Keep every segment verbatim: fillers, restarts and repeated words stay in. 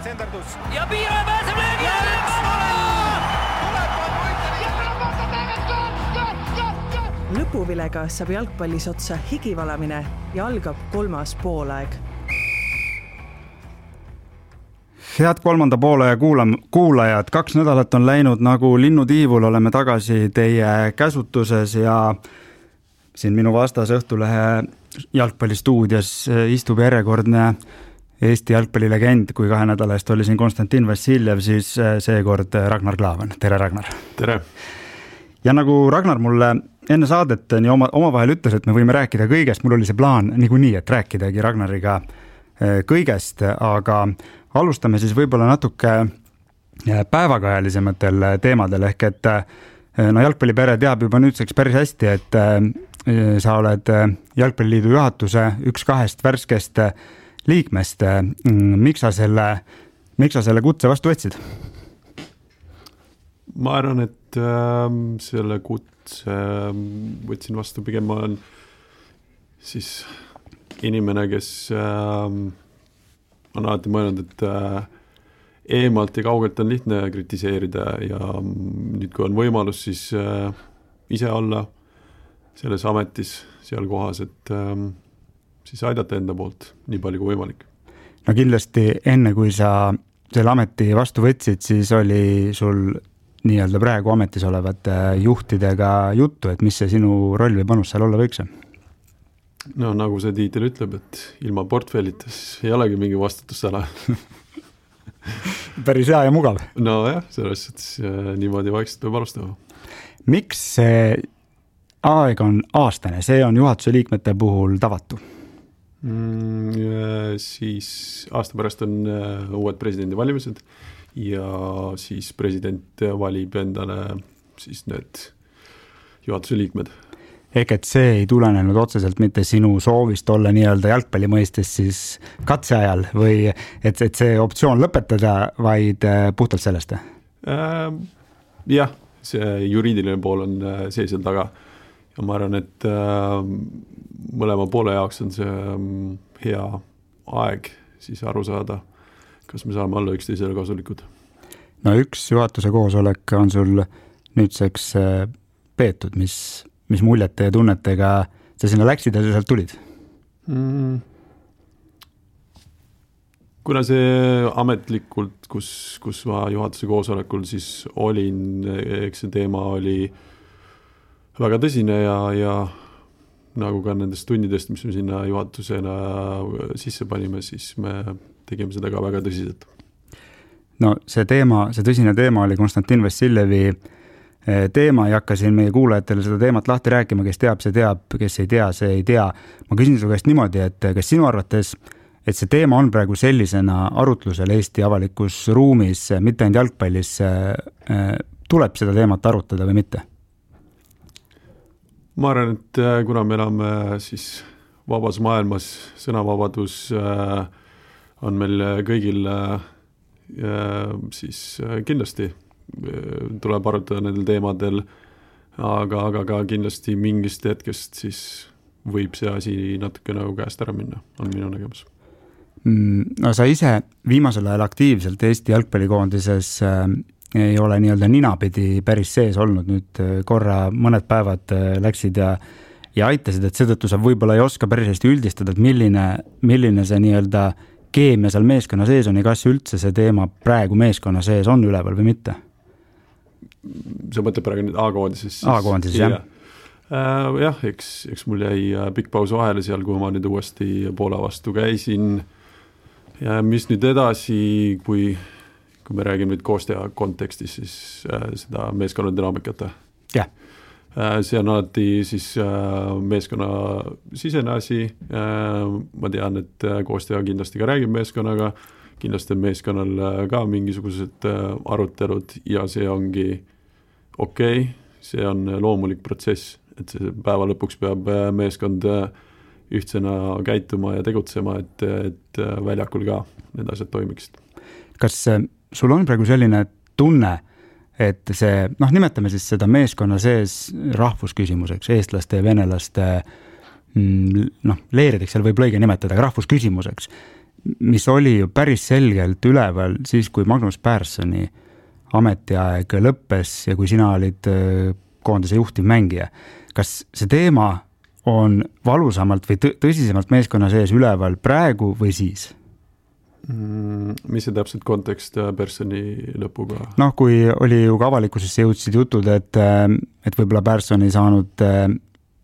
senderdus. Ja Piira pääseb löögi! Ja üks tuleb! Tuleb on võitlevi! Lõpuvilega saab jalgpallis otsa higivalamine ja algab kolmas poolaeg. Head kolmanda poole ja kuulajad, kaks nädalat on läinud nagu linnutiivul, oleme tagasi teie käsutuses ja siin minu vastas Õhtulehe jalgpallistuudios istub järjekordne Eesti jalgpallilegend, kui kahe nädala eest oli siin Konstantin Vassiljev, siis seekord Ragnar Klavan. Tere, Ragnar! Tere! Ja nagu Ragnar mulle enne saadet nii oma, oma vahel ütles, et me võime rääkida kõigest, mul oli see plaan niikuinii, et rääkidagi Ragnariga kõigest, aga alustame siis võib-olla natuke päevakajalisematel teemadel, ehk et no jalgpallipere teab juba nüüdseks päris hästi, et sa oled Jalgpalliliidu juhatuse üks kahest värskest liikmest. Miks sa selle, miks sa selle kutse vastu võtsid? Ma arvan, et äh, selle kutse võtsin vastu, pigem ma olen siis inimene, kes äh, on alati mõelnud, et äh, eemalt ja kaugelt on lihtne kritiseerida ja nüüd, kui on võimalus, siis äh, ise olla selles ametis, seal kohas, et äh, siis aidata enda poolt nii palju kui võimalik. No kindlasti enne, kui sa selle ameti vastu võtsid, siis oli sul nii-öelda praegu ametis olevate juhtidega juttu, et mis see sinu roll või panus seal olla võiks? No nagu see tiitel ütleb, et ilma portfellitas ei olegi mingi vastutusala. Päris hea ja mugav. No jah, selles suhtes niimoodi vaikselt peab alustama. Miks see aeg on aastane? See on juhatuse liikmete puhul tavatu. Mm, siis aasta pärast on uued presidendi valimised ja siis president valib endale siis need juhatuse liikmed. Ehk et see ei tulenenud otseselt mitte sinu soovist olla nii-öelda jalgpalli mõistes siis katseajal või et, et see optsioon lõpetada, vaid puhtalt sellest? Äh, jah, see juriidiline pool on see seal taga ja ma arvan, et äh, mõlema poole jaoks on see hea aeg siis aru saada, kas me saame olla üksteisele kasulikud. No üks juhatuse koosolek on sul nüüdseks peetud, mis mis muljete ja tunnetega sa sinna läksid ja sa sealt tulid? Mm. Kuna see ametlikult, kus, kus ma juhatuse koosolekul siis olin, eks see teema oli väga tõsine ja, ja nagu ka nendest tunnidest, mis me sinna juhatusena sisse panime, siis me tegime seda ka väga tõsiselt. No see teema, see tõsine teema oli Konstantin Vassiljevi teema, ei hakka siin meie kuulajatele seda teemat lahti rääkima, kes teab, see teab, kes ei tea, see ei tea. Ma küsin su käest niimoodi, et kas sinu arvates, et see teema on praegu sellisena arutlusel Eesti avalikus ruumis, mitte ainult jalgpallis, tuleb seda teemat arutada või mitte? Ma arvan, et kuna me elame siis vabas maailmas, sõnavabadus on meil kõigil siis kindlasti tuleb arutada nendel teemadel, aga, aga ka kindlasti mingist hetkest siis võib see asi natuke nagu käest ära minna, on minu nägemus. No sa ise viimasel ajal aktiivselt Eesti jalgpallikoondises äh, ei ole nii-öelda ninapidi päris sees olnud, nüüd korra mõned päevad äh, läksid ja, ja aitasid, et seetõttu sa võib-olla ei oska päris hästi üldistada, et milline, milline see nii-öelda keemia seal meeskonna sees on ja kas üldse see teema praegu meeskonna sees on üleval või mitte? See mõtleb praegu nüüd A-koondises. A-koondises, jah. Äh, jah, eks, eks mul jäi pikk paus vahele seal, kui ma nüüd uuesti Poola vastu käisin. Ja mis nüüd edasi, kui, kui me räägime nüüd koostöö kontekstis, siis äh, seda meeskonna dünaamikat. Jah. Äh, see on alati siis äh, meeskonna sisene asi. Äh, ma tean, et koostöö kindlasti ka räägib meeskonnaga. Kindlasti on meeskonnal ka mingisugused arutelud ja see ongi okei, okay, see on loomulik protsess, et see päeva lõpuks peab meeskond ühtsena käituma ja tegutsema, et, et väljakul ka need asjad toimiksid. Kas sul on praegu selline tunne, et see, noh, nimetame siis seda meeskonna sees rahvusküsimuseks, eestlaste ja venelaste noh, leerideks seal võib lõige nimetada, aga rahvusküsimuseks, mis oli ju päris selgelt üleval siis, kui Magnus Perssoni ametiaeg lõppes ja kui sina olid koondise juhtiv mängija. Kas see teema on valusamalt või tõsisemalt meeskonna sees üleval praegu või siis? Mis see täpselt kontekst Perssoni lõpuga? Noh, kui oli ju ka avalikkusesse jõudsid jutud, et, et võib-olla Persson ei saanud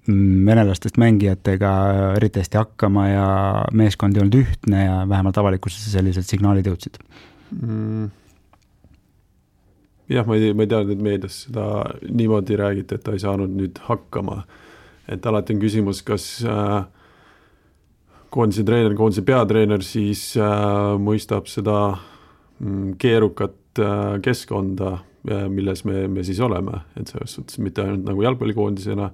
venelastest mängijatega eriti hästi hakkama ja meeskond ei olnud ühtne ja vähemalt avalikkusesse sellised signaalid jõudsid. Mm. Jah, ma ei, ma ei teadnud, et meedias seda niimoodi räägiti, et ta ei saanud nüüd hakkama. Et alati on küsimus, kas äh, koondise treener, koondise peatreener siis äh, mõistab seda mm, keerukat äh, keskkonda, äh, milles me, me siis oleme. Et selles suhtes mitte ainult nagu jalgpallikoondisena,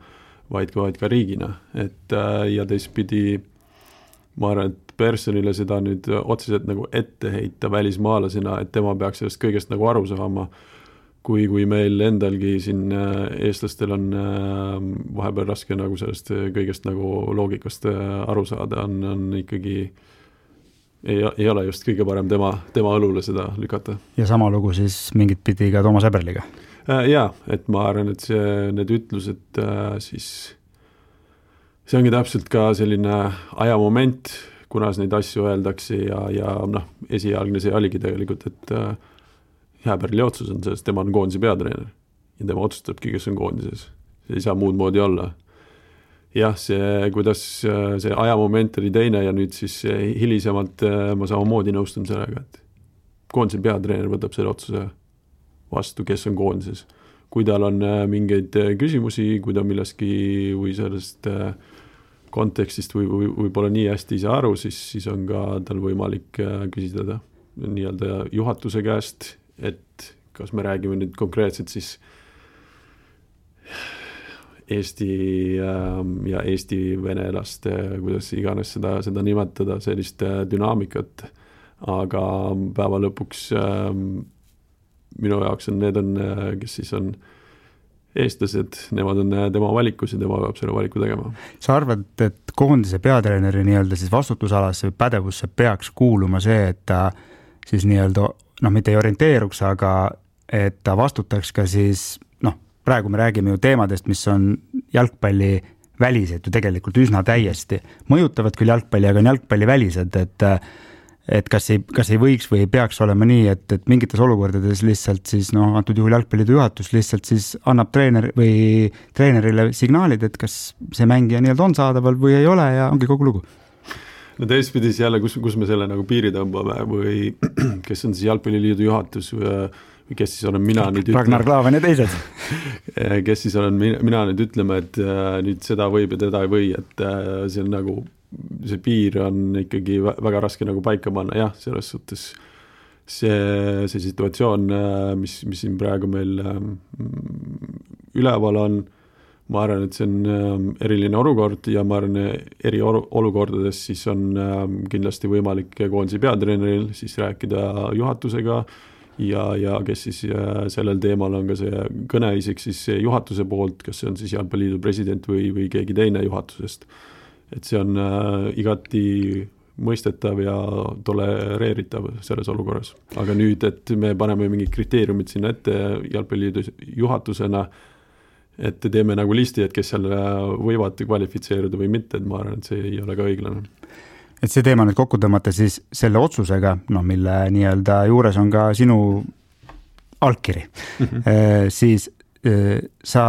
vaid ka, vaid ka riigina. Et, äh, ja teistpidi ma arvan, et Perssonile seda nüüd otseselt nagu ette heita välismaalasena, et tema peaks sellest kõigest nagu aru saama, kui, kui meil endalgi siin eestlastel on vahepeal raske nagu sellest kõigest nagu loogikast aru saada, on, on ikkagi ei, ei ole just kõige parem tema, tema õlule seda lükata. Ja sama lugu siis mingit pidi ka Toomas Eberliga? Jaa, et ma arvan, et see, need ütlused siis see ongi täpselt ka selline ajamoment, kunas neid asju öeldakse ja, ja noh, esialgne see oligi tegelikult, et Jääberli otsus on sellest, tema on koondise peatreener ja tema otsustabki, kes on koondises. See ei saa muud moodi olla. Jah, see, kuidas see ajamoment oli teine ja nüüd siis hilisemalt ma samamoodi nõustun sellega, et koondise peatreener võtab selle otsuse vastu, kes on koondises. Kui tal on mingeid küsimusi, kui ta millestki või sellest kontekstist või, või, või pole nii hästi ise aru, siis, siis on ka tal võimalik küsida nii-öelda juhatuse käest, et kas me räägime nüüd konkreetselt siis Eesti ja Eesti venelaste, kuidas iganes seda, seda nimetada, sellist dünaamikat, aga päeva lõpuks minu jaoks on need on, kes siis on eestlased, nemad on tema valikus ja tema peab selle valiku tegema. Sa arvad, et koondise peatreeneri nii-öelda siis vastutusalasse või pädevusse peaks kuuluma see, et ta siis nii-öelda noh, mitte ei orienteeruks, aga et ta vastutaks ka siis, noh, praegu me räägime ju teemadest, mis on jalgpalli välised ju tegelikult üsna täiesti. Mõjutavad küll jalgpalli, aga on jalgpalli välised, et, et kas, ei, kas ei võiks või ei peaks olema nii, et, et mingites olukordades lihtsalt siis, noh, antud juhul jalgpallide juhatus lihtsalt siis annab treener või treenerile signaalid, et kas see mängija nii-öelda on saadaval või ei ole ja ongi kogu lugu. No teistpidis jälle, kus, kus me selle nagu piiri tõmbame või kes on siis Jalgpalliliidu juhatus või, või kes siis olen mina nüüd Ragnar Klavan ja teised. Kes siis olen mina, mina nüüd ütlema, et nüüd seda võib ja teda ei või, et see on nagu, see piir on ikkagi väga raske nagu paika panna, jah, selles suhtes see, see situatsioon, mis, mis siin praegu meil üleval on, ma arvan, et see on eriline olukord ja ma arvan, eri olukordades siis on kindlasti võimalik koondise peatreeneril siis rääkida juhatusega ja, ja kes siis sellel teemal on ka see kõneisik siis juhatuse poolt, kas see on siis Jalgpalliliidu president või, või keegi teine juhatusest. Et see on igati mõistetav ja tolereeritav selles olukorras. Aga nüüd, et me paneme mingid kriteeriumid sinna ette Jalgpalliliidu juhatusena, et teeme nagu listi, et kes seal võivad kvalifitseeruda või mitte, et ma arvan, et see ei ole ka õiglane. Et see teema nüüd kokku tõmmata siis selle otsusega, no mille nii-öelda juures on ka sinu allkiri, mm-hmm. e, siis e, sa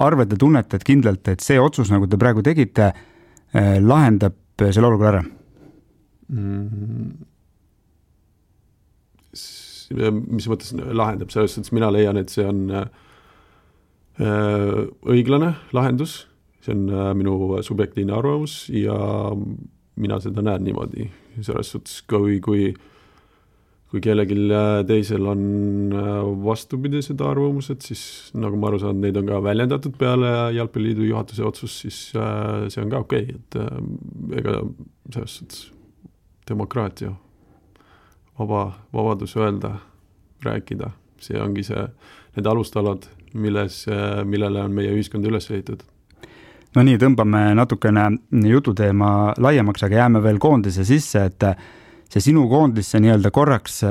arvad ja tunnetad kindlalt, et see otsus, nagu te praegu tegite, e, lahendab selle olukorra ära? Mm-hmm. Mis mõttes lahendab? Selles suhtes mina leian, et see on õiglane lahendus, see on minu subjektiivne arvamus ja mina seda näen niimoodi. Selles suhtes, kui, kui, kui kellelgi teisel on vastupidi seda arvamused, siis nagu ma aru saan, neid on ka väljendatud peale Jalgpalliliidu juhatuse otsus, siis see on ka okei, et ega selles suhtes demokraatia, vaba, vabadus öelda, rääkida, see ongi see, need alustalad, milles, millele on meie ühiskond üles ehitatud. No nii, tõmbame natukene jututeema laiemaks, aga jääme veel koondise sisse, et see sinu koondisse nii-öelda korraks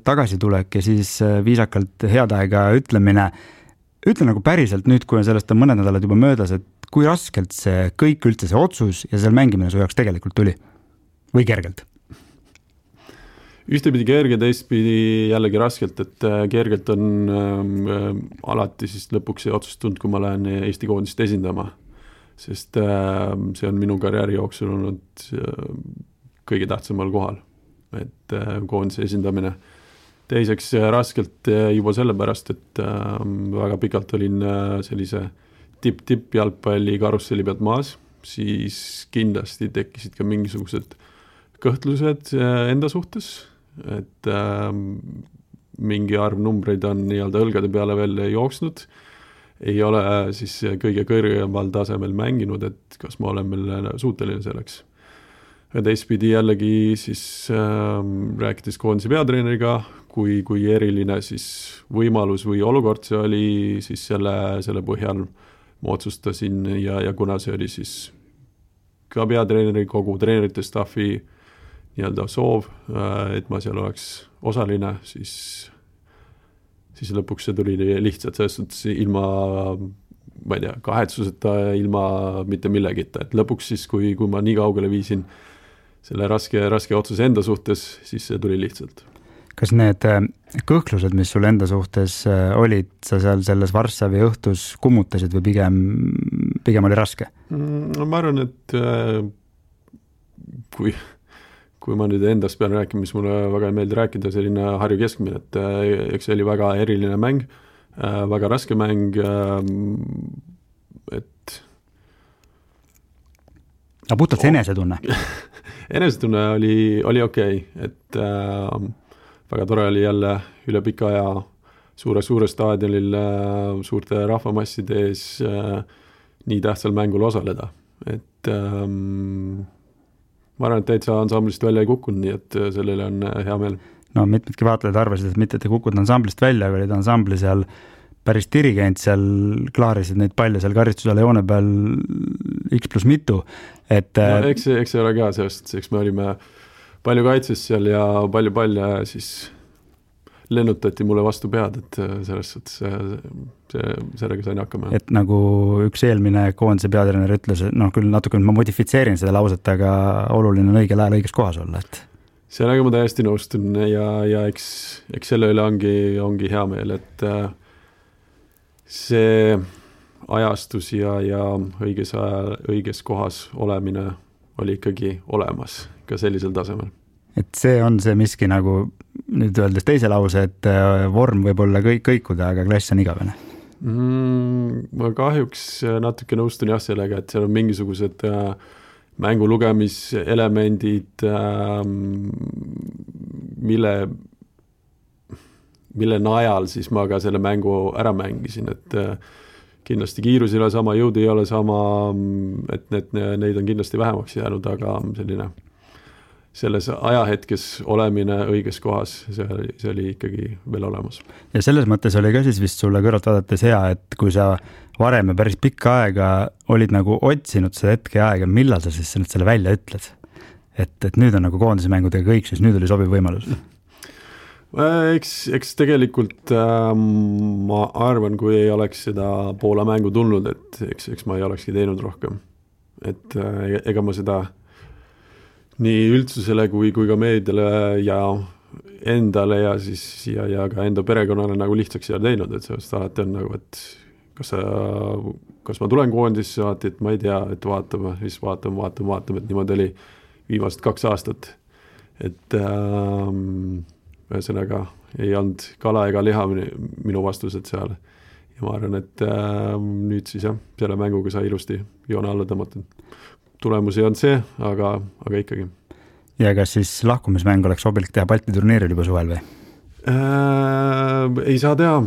tagasi tulek ja siis viisakalt head aega ütlemine, ütle nagu päriselt nüüd, kui on sellest on mõned nädalad juba möödas, et kui raskelt see kõik üldse see otsus ja seal mängimine su jaoks tegelikult tuli? Või kergelt? Ühtepidi kerge, teistpidi jällegi raskelt, et kergelt on ähm, alati siis lõpuks see otsus tund, kui ma lähen Eesti koondist esindama, sest ähm, see on minu karjääri jooksul olnud äh, kõige tähtsamal kohal, et äh, koondise esindamine. Teiseks äh, raskelt äh, juba sellepärast, et äh, väga pikalt olin äh, sellise tipp-tipp jalgpalli karusselli pealt maas, siis kindlasti tekkisid ka mingisugused kõhtlused äh, enda suhtes, et äh, mingi arv numbreid on nii-öelda õlgade peale veel jooksnud, ei ole siis kõige kõrgemal tasemel mänginud, et kas ma olen veel suuteline selleks. Ja teistpidi jällegi siis äh, rääkides koondise peatreeneriga, kui, kui eriline siis võimalus või olukord see oli, siis selle, selle põhjal ma otsustasin ja, ja kuna see oli siis ka peatreeneri, kogu treenerite staffi nii-öelda soov, et ma seal oleks osaline, siis, siis lõpuks see tuli lihtsalt selles suhtes ilma, ma ei tea, kahetsuseta, ilma mitte millegita, et lõpuks siis, kui, kui ma nii kaugele viisin selle raske, raske otsuse enda suhtes, siis see tuli lihtsalt. Kas need kõhklused, mis sul enda suhtes olid, sa seal selles Varssavi õhtus kummutasid või pigem, pigem oli raske? Ma arvan, et kui kui ma nüüd endast pean rääkima, mis mulle väga ei meeldi rääkida, selline Harju keskmine, et eks see oli väga eriline mäng, väga raske mäng, et aga puhtalt see enesetunne? Enesetunne oli, oli okei, okay. et äh, väga tore oli jälle üle pika aja suure, suure staadionil äh, suurte rahvamasside ees äh, nii tähtsal mängul osaleda, et ähm, ma arvan, et täitsa ansamblist välja ei kukkunud, nii et sellele on hea meel. No mitmedki vaatlejad arvasid, et mitte, et ei kukkunud ansamblist välja, aga olid ansambli seal päris dirigent, seal klaarisid neid palle seal karistusele joone peal X pluss mitu. Et, no, eks, eks ei ole ka sellest, eks me olime palju kaitses seal ja palju palle ja siis lennutati mulle vastu pead, et selles suhtes see, see, sellega sain hakkama. Et nagu üks eelmine koondise peatreener ütles, noh küll natuke ma modifitseerin seda lauset, aga oluline on õigel ajal õiges kohas olla. Et... Sellega ma täiesti nõustun ja, ja eks, eks selle üle ongi, ongi hea meel, et see ajastus ja, ja õiges, aja, õiges kohas olemine oli ikkagi olemas ka sellisel tasemel. Et see on see miski nagu nüüd öeldes teise lause, et vorm võib olla kõik, kõikuda, aga klass on igavene. Mm, ma kahjuks natuke nõustun jah sellega, et seal on mingisugused äh, mängu lugemiselemendid, äh, mille, mille najal siis ma ka selle mängu ära mängisin, et äh, kindlasti kiirus ei ole sama, jõud ei ole sama, et need, neid on kindlasti vähemaks jäänud, aga selline selles ajahetkes olemine õiges kohas, see oli, see oli ikkagi veel olemas. Ja selles mõttes oli ka siis vist sulle kõrvalt vaadates hea, et kui sa varem ja päris pikka aega olid nagu otsinud seda hetke aega, millal sa siis selle välja ütled? Et, et nüüd on nagu koondismängudega kõik, siis nüüd oli sobiv võimalus. Eks, eks tegelikult äh, ma arvan, kui ei oleks seda Poola mängu tulnud, et eks, eks ma ei olekski teinud rohkem. Et äh, ega ma seda nii üldsusele kui, kui ka meediale ja endale ja siis ja, ja ka enda perekonnale nagu lihtsaks ei ole teinud, et sellest alati on nagu, et kas, sa, kas ma tulen koondisse, alati, et ma ei tea, et vaatame, siis vaatame, vaatame, vaatame, et niimoodi oli viimased kaks aastat. Et ähm, ühesõnaga ei olnud kala ega liha minu vastused seal. Ja ma arvan, et ähm, nüüd siis jah, selle mänguga sai ilusti joone alla tõmmatud. Tulemusi on see, aga, aga ikkagi. Ja kas siis lahkumismäng oleks sobilik teha Balti turniiril juba suvel või? Äh, ei saa teha.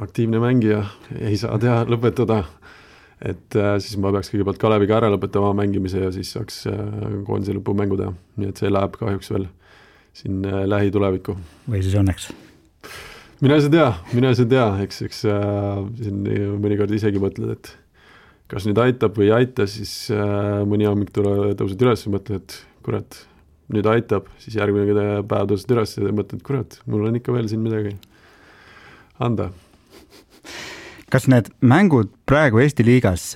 Aktiivne mängija ei saa teha, lõpetada. Et äh, siis ma peaks kõigepealt Kaleviga ära lõpetama mängimise ja siis saaks äh, koondise lõpu mängu teha. Nii et see läheb kahjuks veel siin äh, lähitulevikku. Või siis õnneks? Mine see tea, mine see tea. Eks, eks äh, siin mõnikord isegi mõtled, et kas nüüd aitab või ei aita, siis äh, mõni hommik tule, tõused üles ja mõtled, et kurat, nüüd aitab, siis järgmine päev tõused üles ja mõtled, kurat, mul on ikka veel siin midagi anda. Kas need mängud praegu Eesti liigas,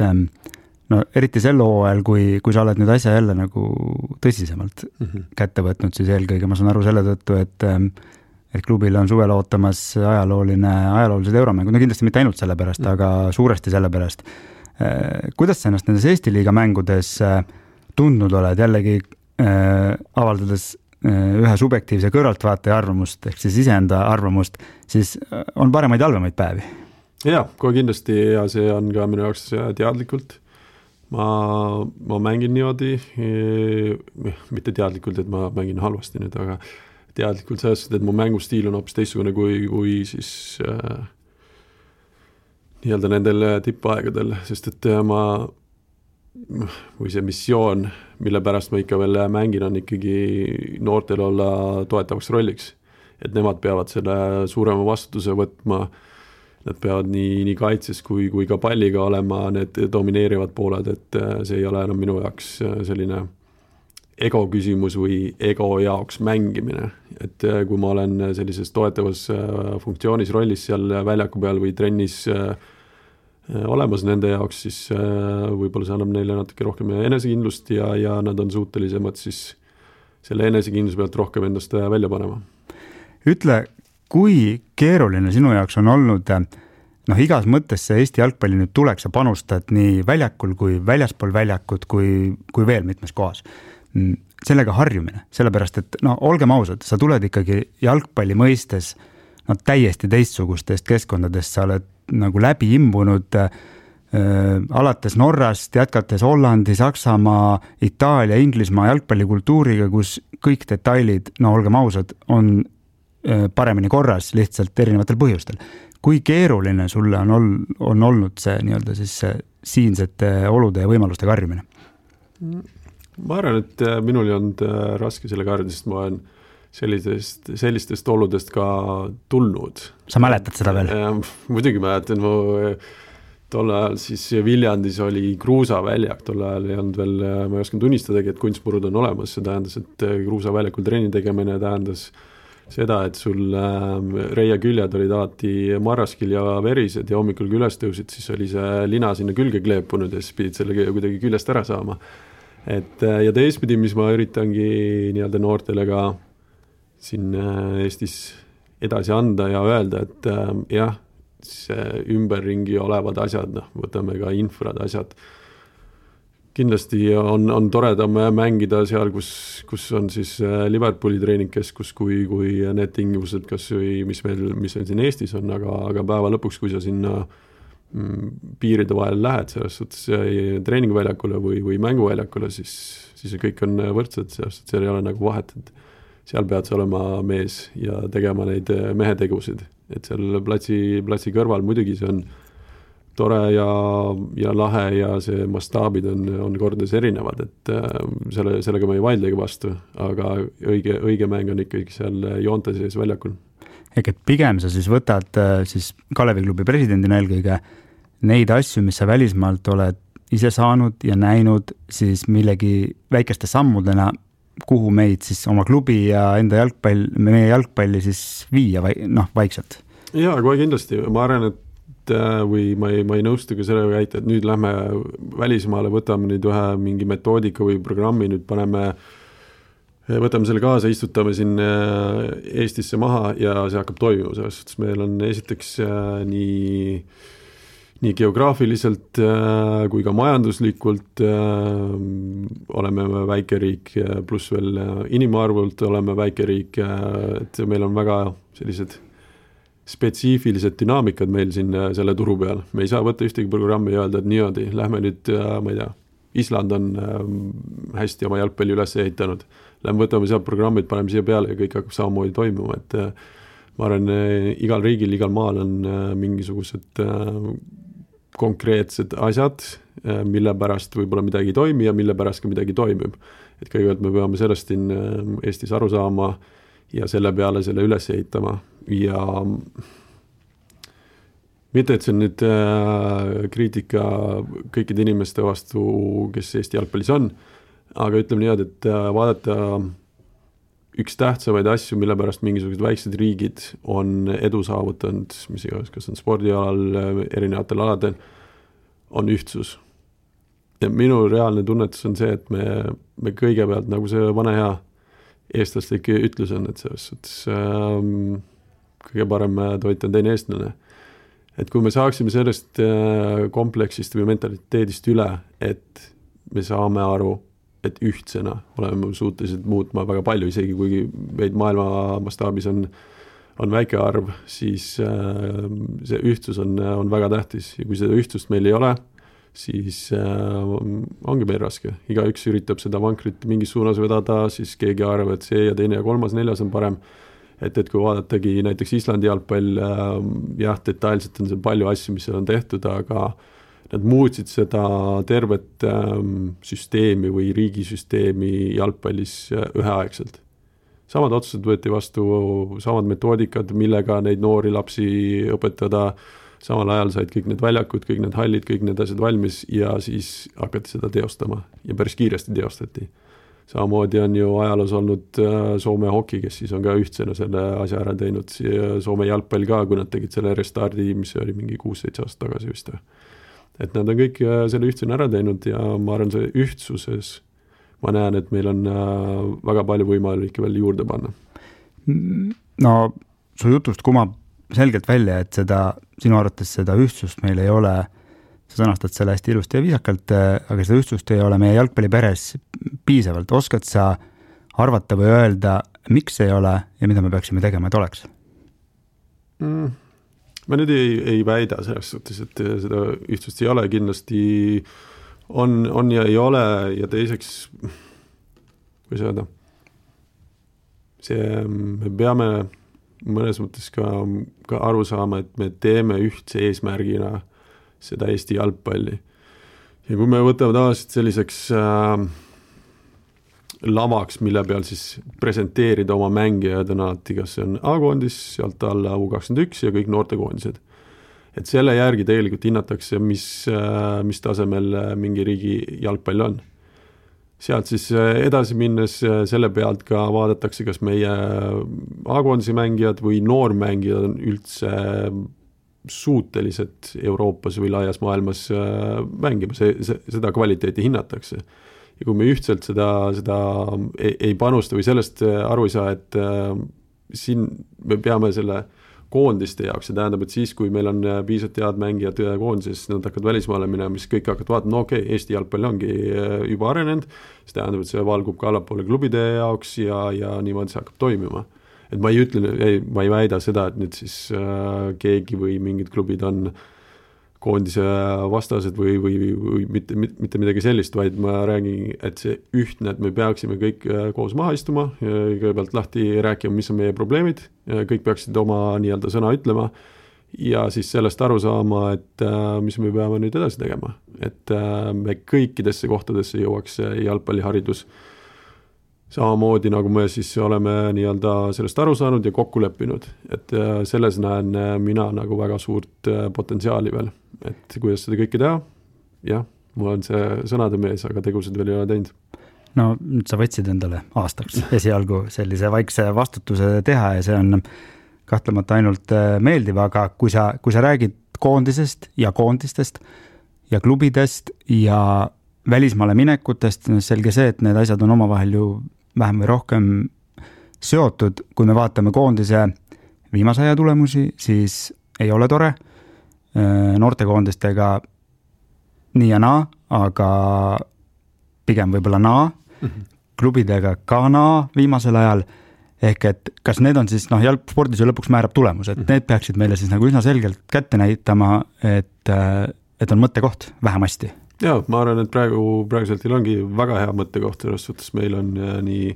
no eriti sel hooajal, kui, kui sa oled nüüd asja jälle nagu tõsisemalt mm-hmm. kätte võtnud, siis eelkõige ma saan aru selle tõttu, et et klubil on suvel ootamas ajalooline, ajaloolised euromängud, no kindlasti mitte ainult selle pärast, mm. aga suuresti selle pärast. Kuidas sa ennast nendes Eesti liiga mängudes tundnud oled, jällegi äh, avaldades äh, ühe subjektiivse kõrvaltvaataja arvamust, ehk siis iseenda arvamust, siis on paremaid ja halvemaid päevi? Jaa, kohe kindlasti ja see on ka minu jaoks teadlikult. Ma, ma mängin niimoodi, mitte teadlikult, et ma mängin halvasti nüüd, aga teadlikult sellest, et mu mängustiil on hoopis teistsugune kui, kui siis äh, nii-öelda nendel tippaegadel, sest et ma või see missioon, mille pärast ma ikka veel mängin, on ikkagi noortel olla toetavaks rolliks. Et nemad peavad selle suurema vastutuse võtma, nad peavad nii, nii kaitses kui, kui ka palliga olema need domineerivad pooled, et see ei ole enam minu jaoks selline ego küsimus või ego jaoks mängimine. Et kui ma olen sellises toetavas funktsioonis rollis seal väljaku peal või trennis olemas nende jaoks, siis võib-olla see annab neile natuke rohkem enesekindlust ja, ja nad on suutelisemad siis selle enesekindluse pealt rohkem endast välja panema. Ütle, kui keeruline sinu jaoks on olnud, noh igas mõttes see Eesti jalgpalli nüüd tuleks ja panustad nii väljakul kui väljaspool väljakut kui, kui veel mitmes kohas. Sellega harjumine, sellepärast, et no olgem ausad, sa tuled ikkagi jalgpalli mõistes no, täiesti teistsugustest keskkondadest, sa oled nagu läbi imbunud äh, alates Norrast, jätkates Hollandi, Saksamaa, Itaalia, Inglismaa jalgpallikultuuriga, kus kõik detailid, no olgem ausad, on äh, paremini korras lihtsalt erinevatel põhjustel. Kui keeruline sulle on, ol, on olnud see, nii-öelda siis see siinsete olude ja võimalustega harjumine? Ma arvan, et minul ei olnud raske sellega harjuda, sest ma olen sellistest, sellistest oludest ka tulnud. Sa mäletad seda veel? Muidugi mäletan, mu tol ajal siis Viljandis oli kruusaväljak, tol ajal ei olnud veel, ma ei oskan tunnistadagi, et kunstmurud on olemas, see tähendas, et kruusaväljakul trenni tegemine tähendas seda, et sul reia küljed olid alati marraskil ja verised ja hommikul kui üles tõusid, siis oli see lina sinna külge kleepunud ja siis pidid selle kuidagi küljest ära saama. Et, ja teistpidi, mis ma üritangi nii-öelda noortele ka siin Eestis edasi anda ja öelda, et jah, see ümberringi olevad asjad, noh, võtame ka infrad asjad. Kindlasti on, on toredam mängida seal, kus, kus on siis Liverpooli treeningkeskus, kui, kui need tingimused, kas või mis meil, mis meil siin Eestis on, aga, aga päeva lõpuks, kui sa sinna piiride vahel lähed selles suhtes treeningväljakule või, või mänguväljakule, siis, siis kõik on võrdsed, sest seal ei ole nagu vahet, et seal pead sa olema mees ja tegema neid mehetegusid, et seal platsi, platsi kõrval muidugi see on tore ja, ja lahe ja see mastaabid on, on kordades erinevad, et selle, sellega ma ei vaidlegi vastu, aga õige, õige mäng on ikkagi seal joonte sees väljakul. Ehk et pigem sa siis võtad siis Kalevi klubi presidendina eelkõige neid asju, mis sa välismaalt oled ise saanud ja näinud siis millegi väikeste sammudena, kuhu meid siis oma klubi ja enda jalgpall, meie jalgpalli siis viia vai, noh, vaikselt. Jaa, kohe kindlasti. Ma arvan, et või ma ei, ma ei nõustu ka selle väita, et nüüd lähme välismaale, võtame nüüd ühe mingi metoodika või programmi, nüüd paneme võtame selle kaasa, istutame siin Eestisse maha ja see hakkab toimima, sest meil on esiteks nii, nii geograafiliselt kui ka majanduslikult oleme väikeriik, pluss veel inimarvult oleme väikeriik, et meil on väga sellised spetsiifilised dünaamikad meil siin selle turu peal. Me ei saa võtta ühtegi programmi ja öelda, et niimoodi, lähme nüüd, ma ei tea, Island on hästi oma jalgpalli üles ehitanud. Lähme võtame seal programmid, paneme siia peale ja kõik hakkab samamoodi toimuma, et ma arvan, igal riigil, igal maal on mingisugused konkreetsed asjad, mille pärast võib-olla midagi ei toimi ja mille pärast ka midagi toimib. Et kõigepealt me peame sellest siin Eestis aru saama ja selle peale selle üles ehitama ja mitte, et see on nüüd kriitika kõikide inimeste vastu, kes Eesti jalgpallis on, aga ütleme niimoodi, et vaadata üks tähtsamaid asju, mille pärast mingisugused väiksed riigid on edu saavutanud, mis iganes, kas on spordialal, erinevatel aladel, on ühtsus. Ja minu reaalne tunnetus on see, et me, me kõigepealt, nagu see vana hea eestlaslik ütlus on, et selles suhtes ähm, kõige parem toit on teine eestlane. Et kui me saaksime sellest äh, kompleksist või mentaliteedist üle, et me saame aru, et ühtsena oleme suutelised muutma väga palju, isegi kuigi meid maailma mastaabis on, on väike arv, siis äh, see ühtsus on, on väga tähtis ja kui seda ühtsust meil ei ole, siis äh, ongi meil raske. Igaüks üritab seda vankrit mingis suunas vedada, siis keegi arvab, et see ja teine ja kolmas, neljas on parem. Et, et kui vaadatagi näiteks Islandi jalgpall, äh, jah, detailselt on see palju asju, mis seal on tehtud, aga nad muutsid seda tervet ähm, süsteemi või riigisüsteemi jalgpallis üheaegselt. Samad otsused võeti vastu, samad metoodikad, millega neid noori lapsi õpetada, samal ajal said kõik need väljakud, kõik need hallid, kõik need asjad valmis ja siis hakati seda teostama ja päris kiiresti teostati. Samamoodi on ju ajaloos olnud Soome hoki, kes siis on ka ühtsena selle asja ära teinud, Soome jalgpall ka, kui nad tegid selle restardi, mis oli mingi kuus-seitse aastat tagasi vist. Et nad on kõik selle ühtsena ära teinud ja ma arvan, see ühtsuses ma näen, et meil on väga palju võimalik veel juurde panna. No su jutust kumab selgelt välja, et seda, sinu arvates seda ühtsust meil ei ole, sa sõnastad selle hästi ilusti ja viisakalt, aga seda ühtsust ei ole meie jalgpalliperes piisavalt. Oskad sa arvata või öelda, miks ei ole ja mida me peaksime tegema, et oleks? Mm. Ma nüüd ei, ei väida selles suhtes, et seda ühtsust ei ole, kindlasti on, on ja ei ole ja teiseks, kui öelda, see, me peame mõnes mõttes ka, ka aru saama, et me teeme ühtse eesmärgina seda Eesti jalgpalli. Ja kui me võtame tavaliselt selliseks äh, lavaks, mille peal siis presenteerida oma mängijad on alati, kas see on A-koondis, sealt alla U kakskümmend üks ja kõik noortekoondised. Et selle järgi tegelikult hinnatakse, mis, mis tasemel mingi riigi jalgpall on. Sealt siis edasi minnes selle pealt ka vaadatakse, kas meie A-koondisi mängijad või noormängijad on üldse suutelised Euroopas või laias maailmas mängima. See, see, seda kvaliteeti hinnatakse. Ja kui me ühtselt seda, seda ei, ei panusta või sellest aru ei saa, et äh, siin me peame selle koondiste jaoks, see tähendab, et siis, kui meil on piisavalt head mängijad koondises, nad hakkavad välismaale minema, mis kõik hakkavad vaatama, no okei, okay, Eesti jalgpall ongi juba arenenud, see tähendab, et see valgub ka allapoole klubide jaoks ja, ja niimoodi see hakkab toimima. Et ma ei ütle, ei, ma ei väida seda, et nüüd siis äh, keegi või mingid klubid on koondise vastased või, või, või mitte, mitte midagi sellist, vaid ma räägin, et see ühtne, et me peaksime kõik koos maha istuma, kõigepealt lahti rääkima, mis on meie probleemid, kõik peaksid oma nii-öelda sõna ütlema ja siis sellest aru saama, et mis me peame nüüd edasi tegema. Et me kõikidesse kohtadesse jõuaks jalgpalliharidus samamoodi, nagu me siis oleme nii-öelda sellest aru saanud ja kokku leppinud. Et selles näen mina nagu väga suurt potentsiaali veel. Et kuidas seda kõike teha? Jah, mul on see sõnade mees, aga tegused veel ei ole teinud. No nüüd sa võtsid endale aastaks esialgu sellise vaikse vastutuse teha ja see on kahtlemata ainult meeldiv, aga kui sa, kui sa räägid koondisest ja koondistest ja klubidest ja välismaale minekutest, selge see, et need asjad on omavahel ju vähem või rohkem seotud. Kui me vaatame koondise viimase aja tulemusi, siis ei ole tore. Noortekoondistega nii ja naa, aga pigem võib-olla naa. Mm-hmm. Klubidega ka naa viimasel ajal. Ehk et kas need on siis, noh, jalgspordis ju lõpuks määrab tulemus, et need peaksid meile siis nagu üsna selgelt kätte näitama, et, et on mõttekoht vähemasti. Jaa, ma arvan, et praegu, praeguselt ongi väga hea mõttekoht, selles suhtes meil on nii,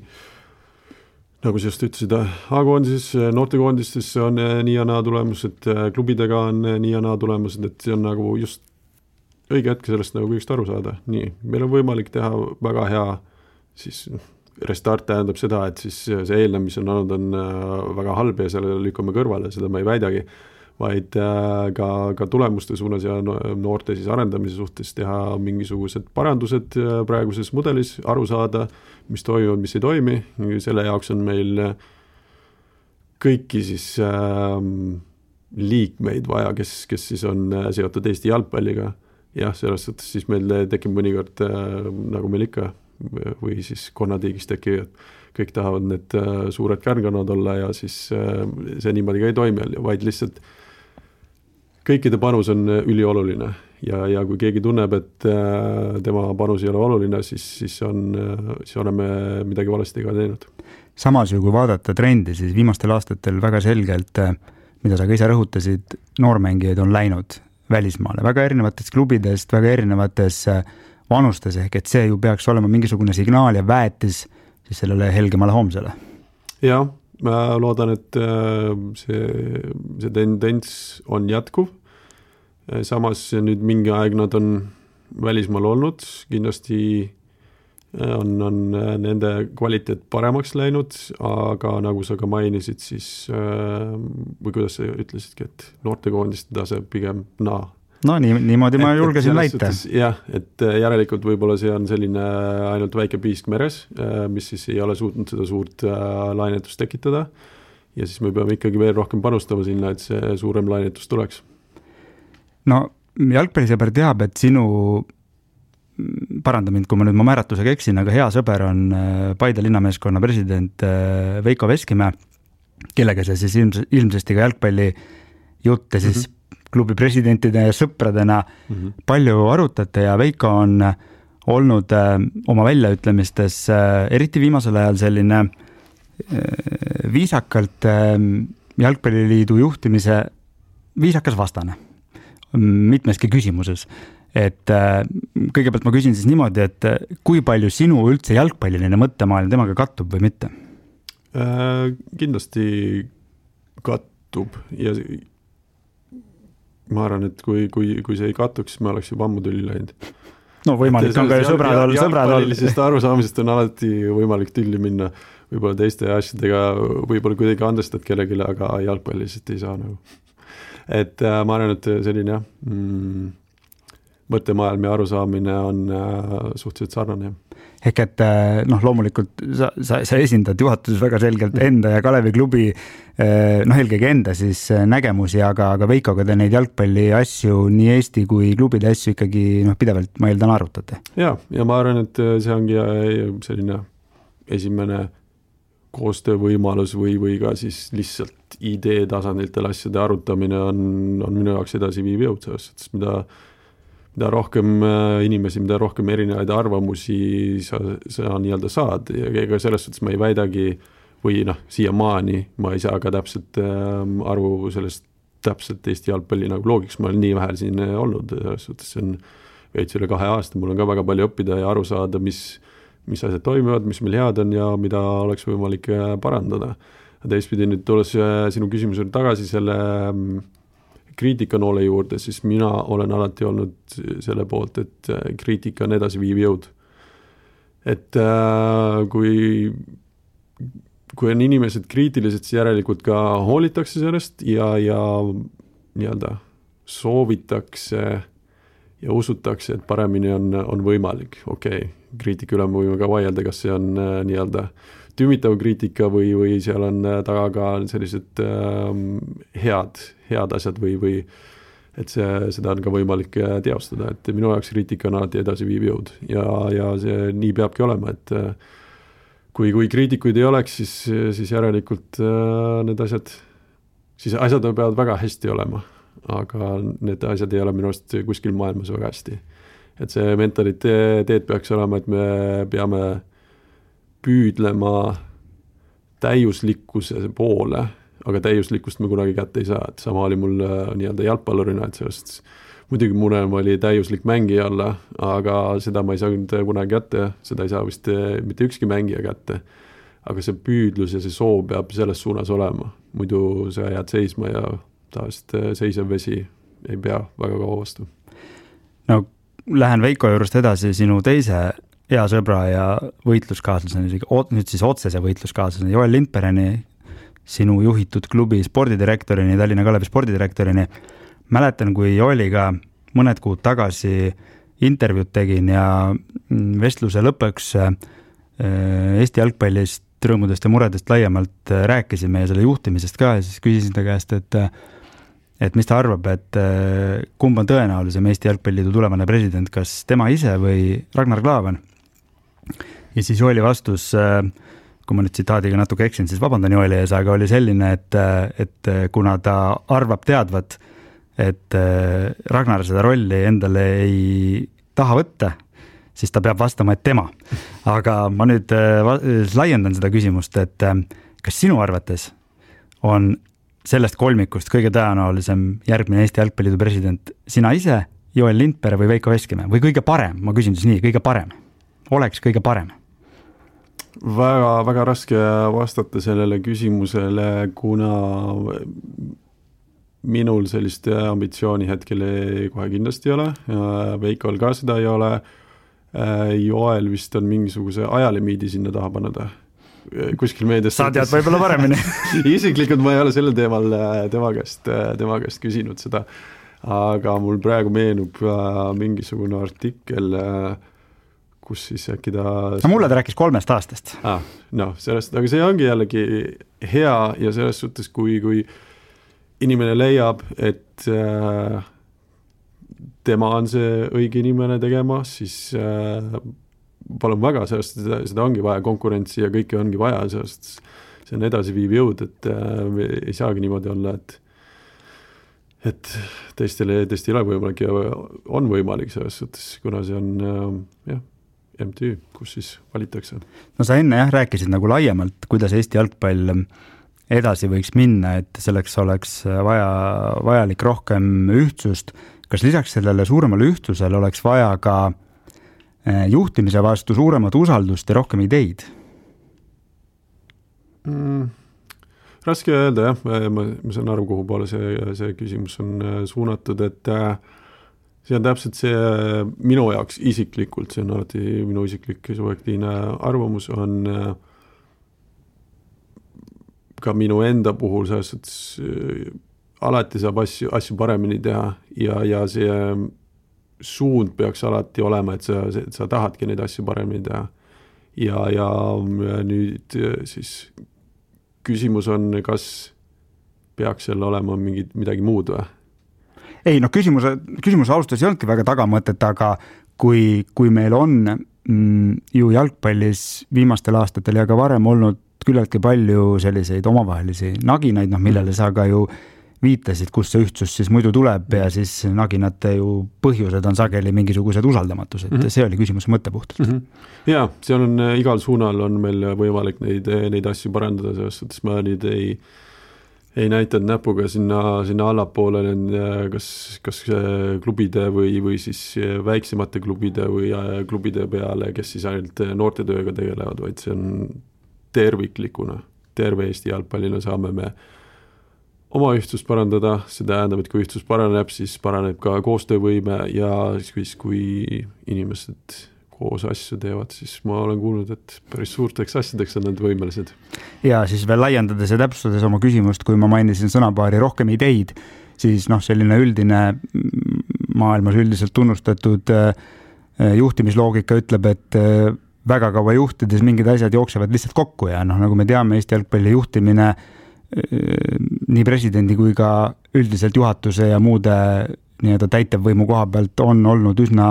nagu sa just ütlesid, A-koondises, noortekoondistes on nii ja naa tulemused, klubidega on nii ja naa tulemused, et see on nagu just õige hetk sellest nagu kõigest aru saada. Nii, meil on võimalik teha väga hea, siis restart tähendab seda, et siis see eelnev, mis on olnud, on väga halb ja selle lükkame kõrvale, seda ma ei väidagi, vaid ka, ka tulemuste suunas ja noorte siis arendamise suhtes teha mingisugused parandused praeguses mudelis, aru saada, mis toimub, mis ei toimi, selle jaoks on meil kõiki siis äh, liikmeid vaja, kes, kes siis on seotud Eesti jalgpalliga. Jah, selles suhtes siis meil tekib mõnikord äh, nagu meil ikka või siis konnatiigis tekib, et kõik tahavad need äh, suured kärnkonnad olla ja siis äh, see niimoodi ka ei toimi, vaid lihtsalt kõikide panus on ülioluline ja, ja kui keegi tunneb, et äh, tema panus ei ole oluline, siis, siis, on, äh, siis oleme midagi valesti ka teinud. Samas ju, kui vaadata trendi, siis viimastel aastatel väga selgelt, mida sa ka ise rõhutasid, noormängijaid on läinud välismaale, väga erinevatest klubidest, väga erinevates vanustes, ehk et see ju peaks olema mingisugune signaal ja väetis siis sellele helgemale homsele. Jah, ma loodan, et see, see tendents on jätkuv. Samas nüüd mingi aeg nad on välismaal olnud, kindlasti on, on nende kvaliteet paremaks läinud, aga nagu sa ka mainisid, siis või kuidas sa ütlesidki, et noortekoondiste tase pigem naa. No nii, niimoodi ma et, julgesin väita. Jah, et järelikult võib-olla see on selline ainult väike piisk meres, mis siis ei ole suutnud seda suurt lainetust tekitada ja siis me peame ikkagi veel rohkem panustama sinna, et see suurem lainetus tuleks. No jalgpallisõber teab, et sinu paranda mind, kui ma nüüd ma määratusega eksin, aga hea sõber on Paide linnameeskonna president Veiko Veskimäe, kellega see siis ilms, ilmsesti ka jalgpalli jutte siis mm-hmm. klubi presidentide ja sõpradena mm-hmm. palju arutate ja Veiko on olnud oma väljaütlemistes eriti viimasel ajal selline viisakalt jalgpalliliidu juhtimise viisakas vastane mitmeski küsimuses. Et kõigepealt ma küsin siis niimoodi, et kui palju sinu üldse jalgpalliline mõttemaailm temaga kattub või mitte? Äh, kindlasti kattub ja ma arvan, et kui, kui, kui see ei kattuks, me oleks juba ammu tülli läinud. No võimalik on ka ju sõbrad olla. Jalgpallilisest arusaamisest on alati võimalik tülli minna võib-olla teiste asjadega, võib-olla kuidagi andestad kellegile, aga jalgpallilisest ei saa nagu. Et äh, ma arvan, et selline jah, mm, mõttemaailm ja arusaamine on äh, suhteliselt sarnane. Ehk et noh, loomulikult sa, sa, sa esindad juhatuses väga selgelt enda ja Kalevi klubi noh, eelkõige enda siis nägemusi, aga, aga Veikoga te neid jalgpalli asju, nii Eesti kui klubide asju ikkagi noh, pidevalt ma eeldan arutate. Ja, ja ma arvan, et see ongi selline esimene koostöövõimalus või, või ka siis lihtsalt idee tasanditel asjade arutamine on, on minu jaoks edasi viiv jõud, sest mida, mida rohkem inimesi, mida rohkem erinevaid arvamusi sa, sa nii-öelda saad ja ega selles suhtes ma ei väidagi või noh, siiamaani ma ei saa ka täpselt aru sellest täpselt Eesti jalgpalli nagu loogiks, ma olen nii vähe siin olnud, selles suhtes see on veits üle kahe aasta, mul on ka väga palju õppida ja aru saada, mis mis asjad toimivad, mis meil head on ja mida oleks võimalik parandada. Teistpidi nüüd tulles sinu küsimusele tagasi selle kriitikanoole juurde, siis mina olen alati olnud selle poolt, et kriitika on edasi viiv jõud. Et kui, kui on inimesed kriitilised, siis järelikult ka hoolitakse sellest ja, ja nii-öelda soovitakse ja usutakse, et paremini on, on võimalik. Okei, okay. Kriitika üle võime ka vaielda, kas see on äh, nii-öelda tümitav kriitika või, või seal on taga ka sellised äh, head, head asjad või, või et see, seda on ka võimalik teostada. Et minu jaoks kriitika on alati edasi viiv jõud ja, ja see nii peabki olema, et äh, kui, kui kriitikuid ei oleks, siis, siis järelikult äh, need asjad, siis asjad peavad väga hästi olema. Aga need asjad ei ole minu arust kuskil maailmas väga hästi. Et see mentaliteet peaks olema, et me peame püüdlema täiuslikkuse poole, aga täiuslikkust me kunagi kätte ei saa. Et sama oli mul nii-öelda jalgpallurina, et sellest muidugi murem oli täiuslik mängija olla, aga seda ma ei saanud kunagi kätte, seda ei saa vist mitte ükski mängija kätte. Aga see püüdlus ja see soov peab selles suunas olema, muidu sa jääd seisma ja taast seisev vesi ei pea väga kaua vastu. No, lähen Veiko juurest edasi sinu teise hea sõbra ja võitluskaaslaseni, nüüd siis otsese võitluskaaslaseni, Joel Lindbereni, sinu juhitud klubi spordidirektorini, Tallinna Kalevi spordidirektorini. Mäletan, kui Joeliga mõned kuud tagasi intervjuud tegin ja vestluse lõpuks Eesti jalgpallist, rõõmudest ja muredest laiemalt rääkisime ja selle juhtimisest ka ja siis küsisin ta käest, et et mis ta arvab, et kumb on tõenäolisem Eesti Jalgpalliliidu tulevane president, kas tema ise või Ragnar Klavan. Ja siis Joeli vastus, kui ma nüüd tsitaadiga natuke eksin, siis vabandan Joeli ees, aga oli selline, et, et kuna ta arvab teadvat, et Ragnar seda rolli endale ei taha võtta, siis ta peab vastama, et tema. Aga ma nüüd laiendan seda küsimust, et kas sinu arvates on sellest kolmikust kõige tõenäolisem järgmine Eesti Jalgpalliliidu president sina ise, Joel Lindpere või Veiko Veskimäe või kõige parem, ma küsin siis nii, kõige parem, oleks kõige parem? Väga, väga raske vastata sellele küsimusele, kuna minul sellist ambitsiooni hetkel kohe kindlasti ei ole, Veikol ka seda ei ole, Joel vist on mingisuguse ajalimiidi sinna taha pannud kuskil meedias. Sa tead võib-olla paremini. Isiklikult ma ei ole sellel teemal tema käest, tema käest küsinud seda, aga mul praegu meenub mingisugune artikkel, kus siis äkki ta... No mulle ta rääkis kolmest aastast. Ah, no, sellest, aga see ongi jällegi hea ja selles suhtes, kui, kui inimene leiab, et äh, tema on see õige inimene tegema, siis äh, palun väga, sellest seda, seda ongi vaja konkurentsi ja kõike ongi vaja, sellest see on edasiviiv jõud, et äh, ei saagi niimoodi olla, et et teistele, teist ei ole võimalik ja on võimalik selles suhtes, kuna see on äh, jah, M T Ü, kus siis valitakse. No sa enne jah rääkisid nagu laiemalt, kuidas Eesti jalgpall edasi võiks minna, et selleks oleks vaja, vajalik rohkem ühtsust. Kas lisaks sellele suuremale ühtsusele oleks vaja ka juhtimise vastu suuremat usaldust ja rohkem ideid? Mm, raske öelda, jah. Ma, ma, ma saan aru, kuhu poole see, see küsimus on suunatud, et see on täpselt see minu jaoks isiklikult, see on alati minu isiklik subjektiivne arvamus, on ka minu enda puhul selles, et alati saab asju, asju paremini teha ja, ja see suund peaks alati olema, et sa, et sa tahadki neid asju paremini teha. Ja, ja nüüd siis küsimus on, kas peaks seal olema mingi, midagi muud või? Ei, no küsimuse, küsimuse alustas ei olnudki väga tagamõtet, aga kui, kui meil on mm, ju jalgpallis viimastel aastatel ja ka varem olnud küllaltki palju selliseid omavahelisi naginaid, noh, millele sa ka ju viitasid, kus see ühtsus siis muidu tuleb ja siis naginate ju põhjused on sageli mingisugused usaldamatused. Mm -hmm. See oli küsimuse mõttepuhtalt. Mm -hmm. Ja, see on igal suunal on meil võimalik neid, neid asju parandada, selles suhtes ma nüüd ei ei näitanud näpuga sinna, sinna allapoole kas, kas klubide või, või siis väiksemate klubide või klubide peale, kes siis ainult noortetööga tegelevad, vaid see on terviklikuna. Terve Eesti jalgpallina saame me oma ühtsust parandada, see tähendab, et kui ühtsus paraneb, siis paraneb ka koostöövõime ja siis kui inimesed koos asju teevad, siis ma olen kuulnud, et päris suurteks asjadeks on nad võimelised. Ja siis veel laiendades ja täpsustades oma küsimust, kui ma mainisin sõnapaari rohkem ideid, siis noh, selline üldine maailmas üldiselt tunnustatud juhtimisloogika ütleb, et väga kaua juhtides mingid asjad jooksevad lihtsalt kokku ja noh, nagu me teame, Eesti jalgpalli juhtimine nii presidendi kui ka üldiselt juhatuse ja muude nii-öelda täitevvõimu koha pealt on olnud üsna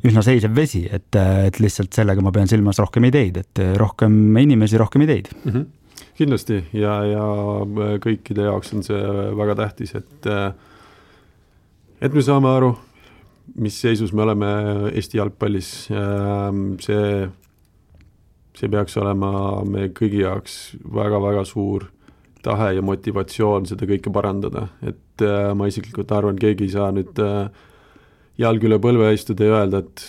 üsna seisev vesi, et, et lihtsalt sellega ma pean silmas rohkem ideid, et rohkem inimesi, rohkem ideid. Mm-hmm. Kindlasti ja, ja kõikide jaoks on see väga tähtis, et et me saame aru, mis seisus me oleme Eesti jalgpallis. See, see peaks olema me kõigi jaoks väga-väga suur tahe ja motivatsioon seda kõike parandada, et ma isiklikult arvan, keegi ei saa nüüd jalg üle põlve istuda ja öelda, et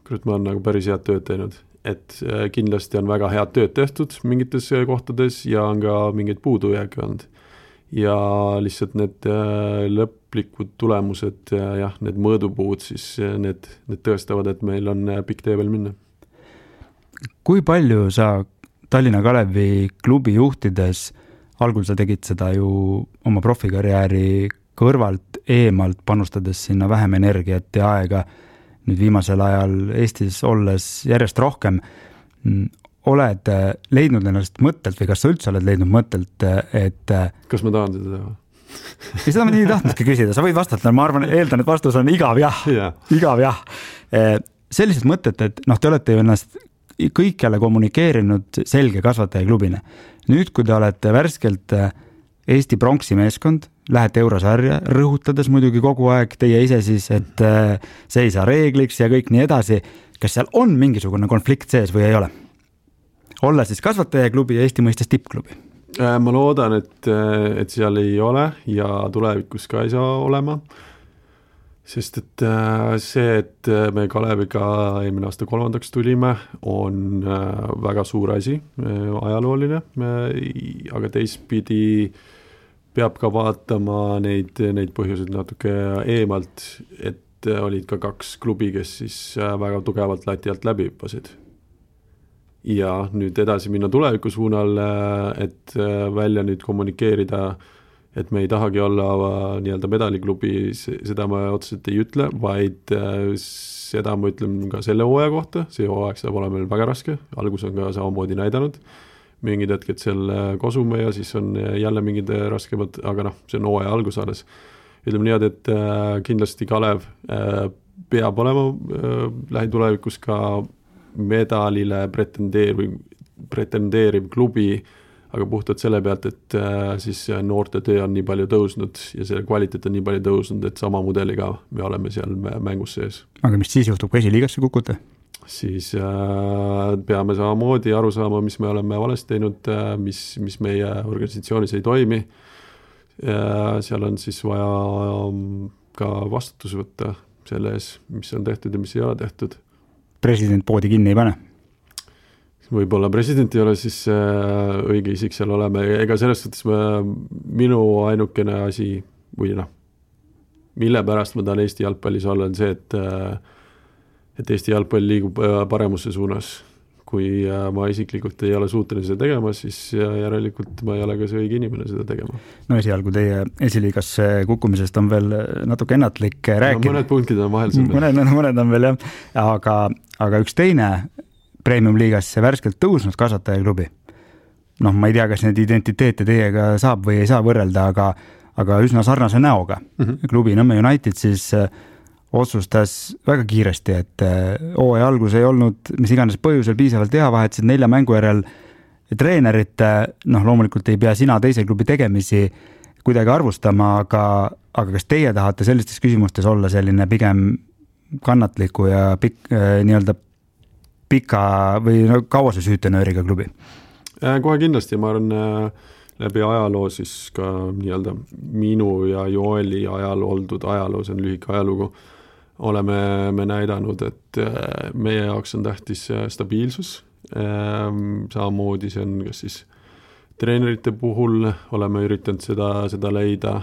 kurat, ma olen nagu päris head tööd teinud. Et kindlasti on väga head tööd tehtud mingites kohtades ja on ka mingeid puudujääke olnud. Ja lihtsalt need lõplikud tulemused, jah, need mõõdupuud, siis need, need tõestavad, et meil on pikk tee veel minna. Kui palju sa Tallinna Kalevi klubi juhtides algul sa tegid seda ju oma profikarjääri kõrvalt, eemalt, panustades sinna vähem energiat ja aega. Nüüd viimasel ajal Eestis olles järjest rohkem. Oled leidnud ennast mõttelt või kas sa üldse oled leidnud mõttelt, et... Kas ma tahan seda teha? Ja seda ma nii tahtnudki küsida. Sa võid vastata, ma arvan, eeldan, et vastus on igav jah. Yeah. Igav jah. Sellised mõtted, et noh, te olete ju ennast kõikjale kommunikeerinud selge kasvatajaklubina. Nüüd, kui te olete värskelt Eesti pronksi meeskond, lähete eurosarja, rõhutades muidugi kogu aeg teie ise siis, et see ei saa reegliks ja kõik nii edasi. Kas seal on mingisugune konflikt sees või ei ole? Olla siis kasvatajaklubi ja Eesti mõistes tippklubi? Ma loodan, et, et seal ei ole ja tulevikus ka ei saa olema. Sest et see, et me Kaleviga eelmine aasta kolmandaks tulime, on väga suur asi, ajalooline, aga teistpidi peab ka vaatama neid, neid põhjuseid natuke eemalt, et olid ka kaks klubi, kes siis väga tugevalt lati alt läbi hüppasid. Ja nüüd edasi minna tuleviku suunal, et välja nüüd kommunikeerida, et me ei tahagi olla nii-öelda medaliklubi, seda ma otseselt ei ütle, vaid seda ma ütlen ka selle hooaja kohta, see hooaeg saab olema meil väga raske, algus on ka samamoodi näidanud, mingid hetked seal kosume ja siis on jälle mingid raskemad, aga noh, see on hooaja algus alles. Ütleme nii, et kindlasti Kalev peab olema lähitulevikus ka medalile pretendeeriv, pretendeeriv klubi, aga puhtalt selle pealt, et siis noorte töö on nii palju tõusnud ja selle kvaliteet on nii palju tõusnud, et sama mudeliga me oleme seal mängus sees. Aga mis siis juhtub, kui esiliigasse kukute? Siis äh, peame samamoodi aru saama, mis me oleme valesti teinud, äh, mis, mis meie organisatsioonis ei toimi. Äh, seal on siis vaja um, ka vastutus võtta selle ees, mis on tehtud ja mis ei ole tehtud. President poodi kinni ei pane? Võib-olla president ei ole siis äh, õige isik seal oleme. Ega selles suhtes me, minu ainukene asi, või noh, mille pärast ma tahan Eesti jalgpallis olla, on see, et äh, et Eesti jalgpall liigub paremusse suunas. Kui ma isiklikult ei ole suuteline seda tegema, siis järelikult ma ei ole ka see õige inimene seda tegema. No esialgu teie esiliigasse kukkumisest on veel natuke ennatlik rääkida. No, mõned punktid on vahel selle. Mõned, mõned on veel jah, aga, aga üks teine premium-liigasse värskelt tõusnud kasvatajaklubi. Noh, ma ei tea, kas need identiteete teiega saab või ei saa võrrelda, aga, aga üsna sarnase näoga. Mm-hmm. Klubi Nõmme United siis otsustas väga kiiresti, et hooaja algus ei olnud mis iganes põhjusel piisavalt hea, vahetasid nelja mängu järel treenerit, noh loomulikult ei pea sina teise klubi tegemisi kuidagi arvustama, aga, aga kas teie tahate sellistes küsimustes olla selline pigem kannatliku ja pik, nii-öelda pika või no, kauase süütenööriga klubi? Kohe kindlasti, ma arvan läbi ajaloo siis ka nii-öelda minu ja Joeli ajaloo oldud ajaloo, see on lühike ajalugu, oleme me näidanud, et meie jaoks on tähtis stabiilsus. Samamoodi see on kas siis treenerite puhul oleme üritanud seda, seda leida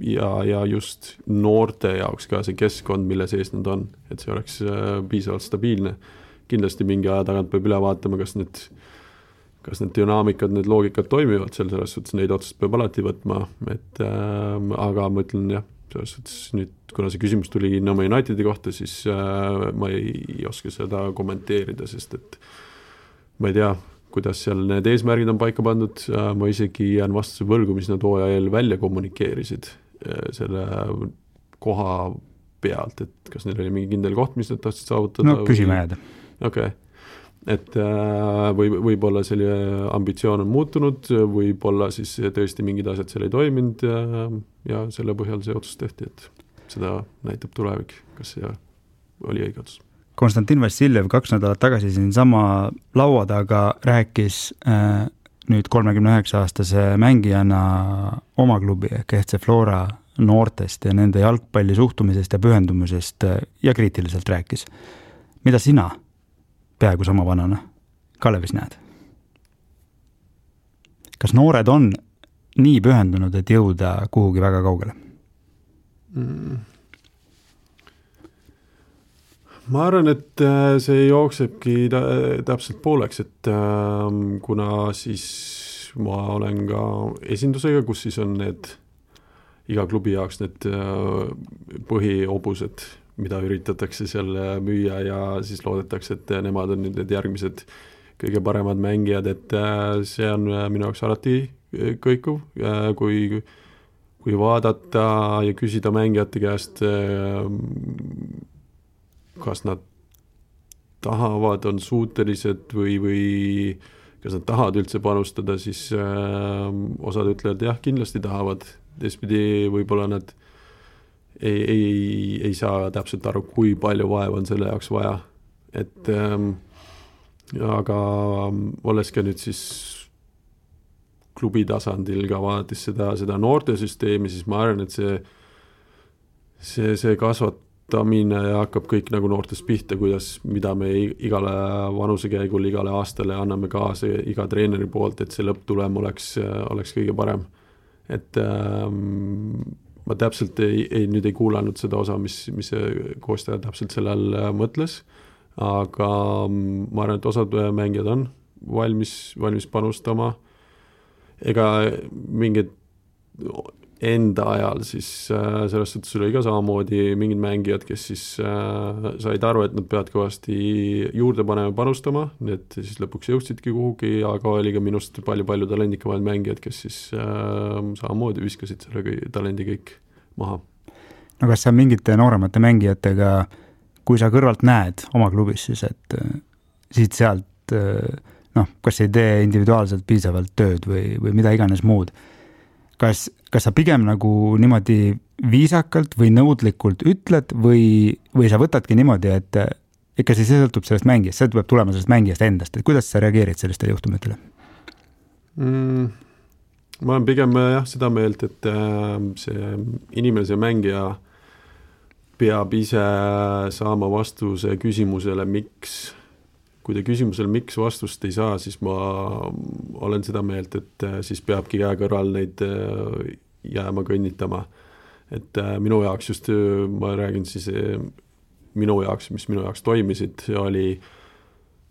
ja, ja just noorte jaoks ka see keskkond, mille sees nad on, et see oleks piisavalt stabiilne. Kindlasti mingi aja tagant peab üle vaatama, kas need, kas need dünaamikad, need loogikad toimivad, selles suhtes neid otsust peab alati võtma, et, äh, aga ma ütlen jah, selles suhtes nüüd, kuna see küsimus tuli Nõmme Unitedi kohta, siis äh, ma ei, ei oska seda kommenteerida, sest et ma ei tea, kuidas seal need eesmärgid on paika pandud, äh, ma isegi jään vastuse võlgu, mis nad hooaja eel välja kommunikeerisid äh, selle koha pealt, et kas neil oli mingi kindel koht, mis nad tahtsid saavutada. No küsima jääda. Okei, okay. Et äh, või, võib-olla selle ambitsioon on muutunud, võib-olla siis tõesti mingid asjad seal ei toiminud ja, ja selle põhjal see otsus tehti, et seda näitab tulevik, kas see oli õige otsus. Konstantin Vassiljev kaks nädalat tagasi siin sama laua taga rääkis äh, nüüd kolmekümne üheksa aastase mängijana oma klubi ehk F C Flora noortest ja nende jalgpalli suhtumisest ja pühendumisest ja kriitiliselt rääkis. Mida sina peaaegu sama vanana Kalevis näed? Kas noored on nii pühendunud, et jõuda kuhugi väga kaugele? Mm. Ma arvan, et see jooksebki täpselt pooleks, et kuna siis ma olen ka esindusega, kus siis on need iga klubi jaoks need põhiobused, mida üritatakse seal müüa ja siis loodetakse, et nemad on nüüd need järgmised kõige paremad mängijad, et see on minu jaoks alati kõikuv, kui, kui vaadata ja küsida mängijate käest, kas nad tahavad, on suutelised või, või kas nad tahavad üldse panustada, siis osad ütlevad, jah, kindlasti tahavad. Teistpidi võib-olla nad ei, ei, ei saa täpselt aru, kui palju vaeva on selle jaoks vaja. Et, ähm, aga olles ka nüüd siis klubi tasandil ka vaadates seda, seda noortesüsteemi, siis ma arvan, et see, see, see kasvatamine hakkab kõik nagu noortes pihta, kuidas, mida me igale vanusekäigul, igale aastale anname kaasa iga treeneri poolt, et see lõpptulem oleks, oleks kõige parem. Et ähm, ma täpselt ei, ei, nüüd ei kuulanud seda osa, mis, mis see koostaja täpselt sellel mõtles, aga ma arvan, et osad mängijad on valmis, valmis panustama. Ega mingid enda ajal siis äh, sellest suhtes oli ka samamoodi mingid mängijad, kes siis äh, said aru, et nad peavad kõvasti juurde panema panustama, need siis lõpuks jõudsidki kuhugi, aga oli ka minust palju-palju talendikamaid mängijad, kes siis äh, samamoodi viskasid selle talendi kõik maha. No kas sa mingite nooremate mängijatega, kui sa kõrvalt näed oma klubis siis, et äh, siit sealt äh, noh, kas ei tee individuaalselt piisavalt tööd või, või mida iganes muud, Kas, kas sa pigem nagu niimoodi viisakalt või nõudlikult ütled või, või sa võtadki niimoodi, et ikka siis see sõltub sellest mängijast, see tuleb tulema sellest mängijast endast, et kuidas sa reageerid sellistele juhtumitele? Mm, ma olen pigem jah seda meelt, et see inimene, see mängija peab ise saama vastuse küsimusele, miks. Kui te küsimusele miks vastust ei saa, siis ma olen seda meelt, et siis peabki käe kõrval neid jääma kõnnitama. Et minu jaoks just, ma räägin siis minu jaoks, mis minu jaoks toimisid, oli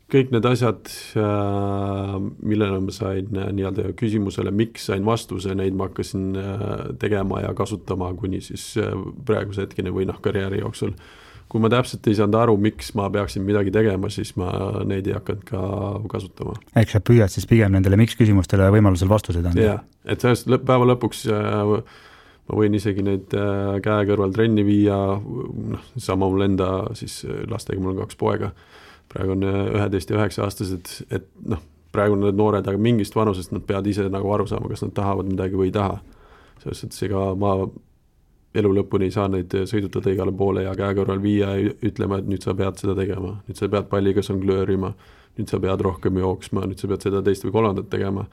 kõik need asjad, millele ma sain nii-öelda küsimusele, miks sain vastuse, neid ma hakkasin tegema ja kasutama kuni siis praeguse hetkeni või noh, karjääri jooksul. Kui ma täpselt ei saanud aru, miks ma peaksin midagi tegema, siis ma neid ei hakanud ka kasutama. Ehk sa püüad siis pigem nendele miks küsimustele võimalusel vastused anda? Jah, et sellest päeva lõpuks ma võin isegi neid käe kõrval trenni viia, noh, sama mul enda siis lastega, mul on kaks poega, praegu on üheteist ja üheksa aastased, et noh, praegu on need noored, aga mingist vanusest nad peavad ise nagu aru saama, kas nad tahavad midagi või ei taha. Sellest, et ega ma elu lõpuni ei saa neid sõidutada igale poole ja käe kõrval viia ja ütlema, et nüüd sa pead seda tegema, nüüd sa pead palliga songlöörima, nüüd sa pead rohkem jooksma, nüüd sa pead seda teist või kolmandat tegema.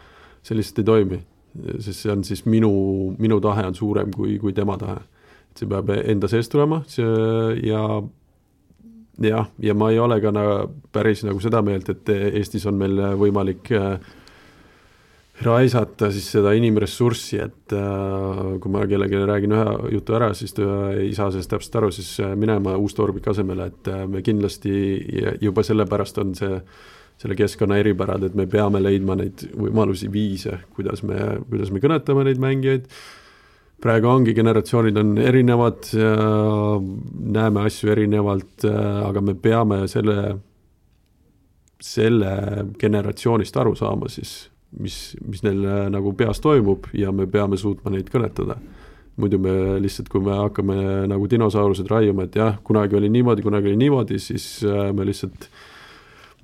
See lihtsalt ei toimi, sest see on siis minu, minu tahe on suurem kui, kui tema tahe. See peab enda seest tulema see, ja, ja, ja ma ei ole ka na, päris nagu seda meelt, et Eestis on meil võimalik raisata siis seda inimressurssi, et äh, kui ma kellegi räägin ühe jutu ära, siis ta ei saa sellest täpselt aru, siis minema Uus-Torbik asemele, et me kindlasti juba sellepärast on see, selle keskkonna eripärad, et me peame leidma neid võimalusi viise, kuidas me, kuidas me kõnetame neid mängijaid. Praegu ongi generatsioonid on erinevad, näeme asju erinevalt, aga me peame selle, selle generatsioonist aru saama siis, mis, mis neil nagu peas toimub ja me peame suutma neid kõnetada. Muidu me lihtsalt, kui me hakkame nagu dinosaurused raiuma, et jah, kunagi oli niimoodi, kunagi oli niimoodi, siis me lihtsalt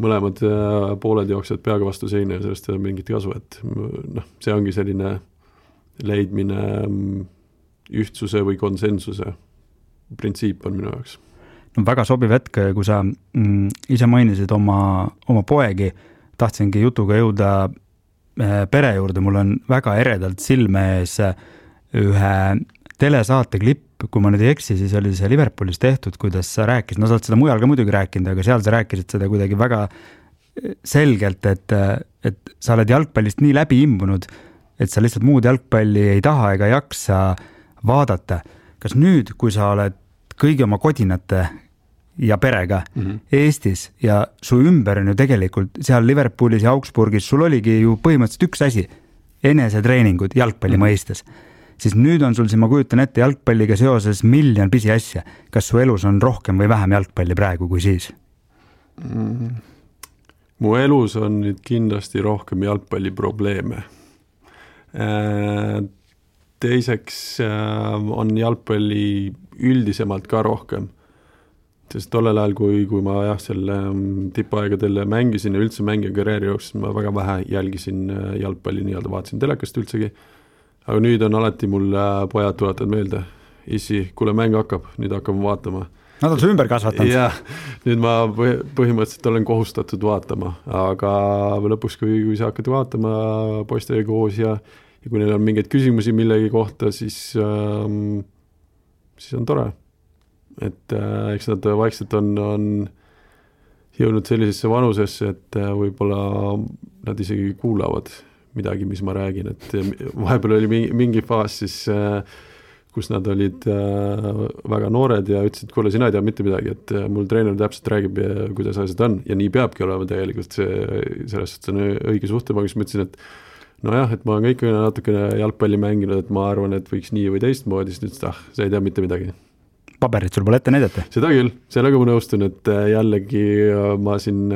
mõlemad pooled jooksed peaga vastu seina ja sellest ei ole mingit kasu, et noh, see ongi selline leidmine ühtsuse või konsensuse printsiip on minu jaoks. No, väga sobiv hetk, kui sa mm, ise mainisid oma, oma poegi, tahtsingi jutuga jõuda pere juurde, mul on väga eredalt silme ees ühe telesaate klipp, kui ma nüüd ei eksi, siis oli see Liverpoolis tehtud, kuidas sa rääkisid, no sa oled seda mujal ka muidugi rääkinud, aga seal sa rääkisid seda kuidagi väga selgelt, et, et sa oled jalgpallist nii läbi imbunud, et sa lihtsalt muud jalgpalli ei taha ega jaksa vaadata. Kas nüüd, kui sa oled kõigi oma kodinate ja perega mm-hmm. Eestis ja su ümber on ju tegelikult seal Liverpoolis ja Augsburgis, sul oligi ju põhimõtteliselt üks asi, enesetreeningud jalgpalli mm. mõistes, siis nüüd on sul siin, ma kujutan ette, jalgpalliga seoses miljon pisiasja. Kas su elus on rohkem või vähem jalgpalli praegu kui siis? Mm. Mu elus on nüüd kindlasti rohkem jalgpalli probleeme. Teiseks on jalgpalli üldisemalt ka rohkem. Sest tollel ajal, kui, kui ma jah, selle tippaegadel mängisin ja üldse mängija karjääri jooksis, ma väga vähe jälgisin jalgpalli, nii-öelda vaatasin telekast üldsegi. Aga nüüd on alati mul pojad tuletad meelde. Issi, kuule mäng hakkab, nüüd hakkame vaatama. Nad on su ümber kasvatanud. Jah, nüüd ma põhimõtteliselt olen kohustatud vaatama, aga lõpuks, kui, kui sa hakkad vaatama poistega koos ja, ja kui neil on mingeid küsimusi millegi kohta, siis, ähm, siis on tore. Et äh, eks nad vaikselt on, on jõudnud sellisesse vanusesse, et äh, võib-olla nad isegi kuulavad midagi, mis ma räägin, et vahepeal oli mingi, mingi faas siis äh, kus nad olid äh, väga noored ja ütlesid, kuule, sina ei tea mitte midagi, et äh, mul treener täpselt räägib, kuidas asjad on ja nii peabki olema tegelikult see, sellest on õige suhtema, kus ma ütlesin, et nojah, et ma olen kõik natukene jalgpalli mänginud, et ma arvan, et võiks nii või teistmoodi, siis nüüd, ah, sa ei tea mitte midagi. Paberit sul pole ette näidata? Seda küll, sellega ma nõustun, et jällegi ma siin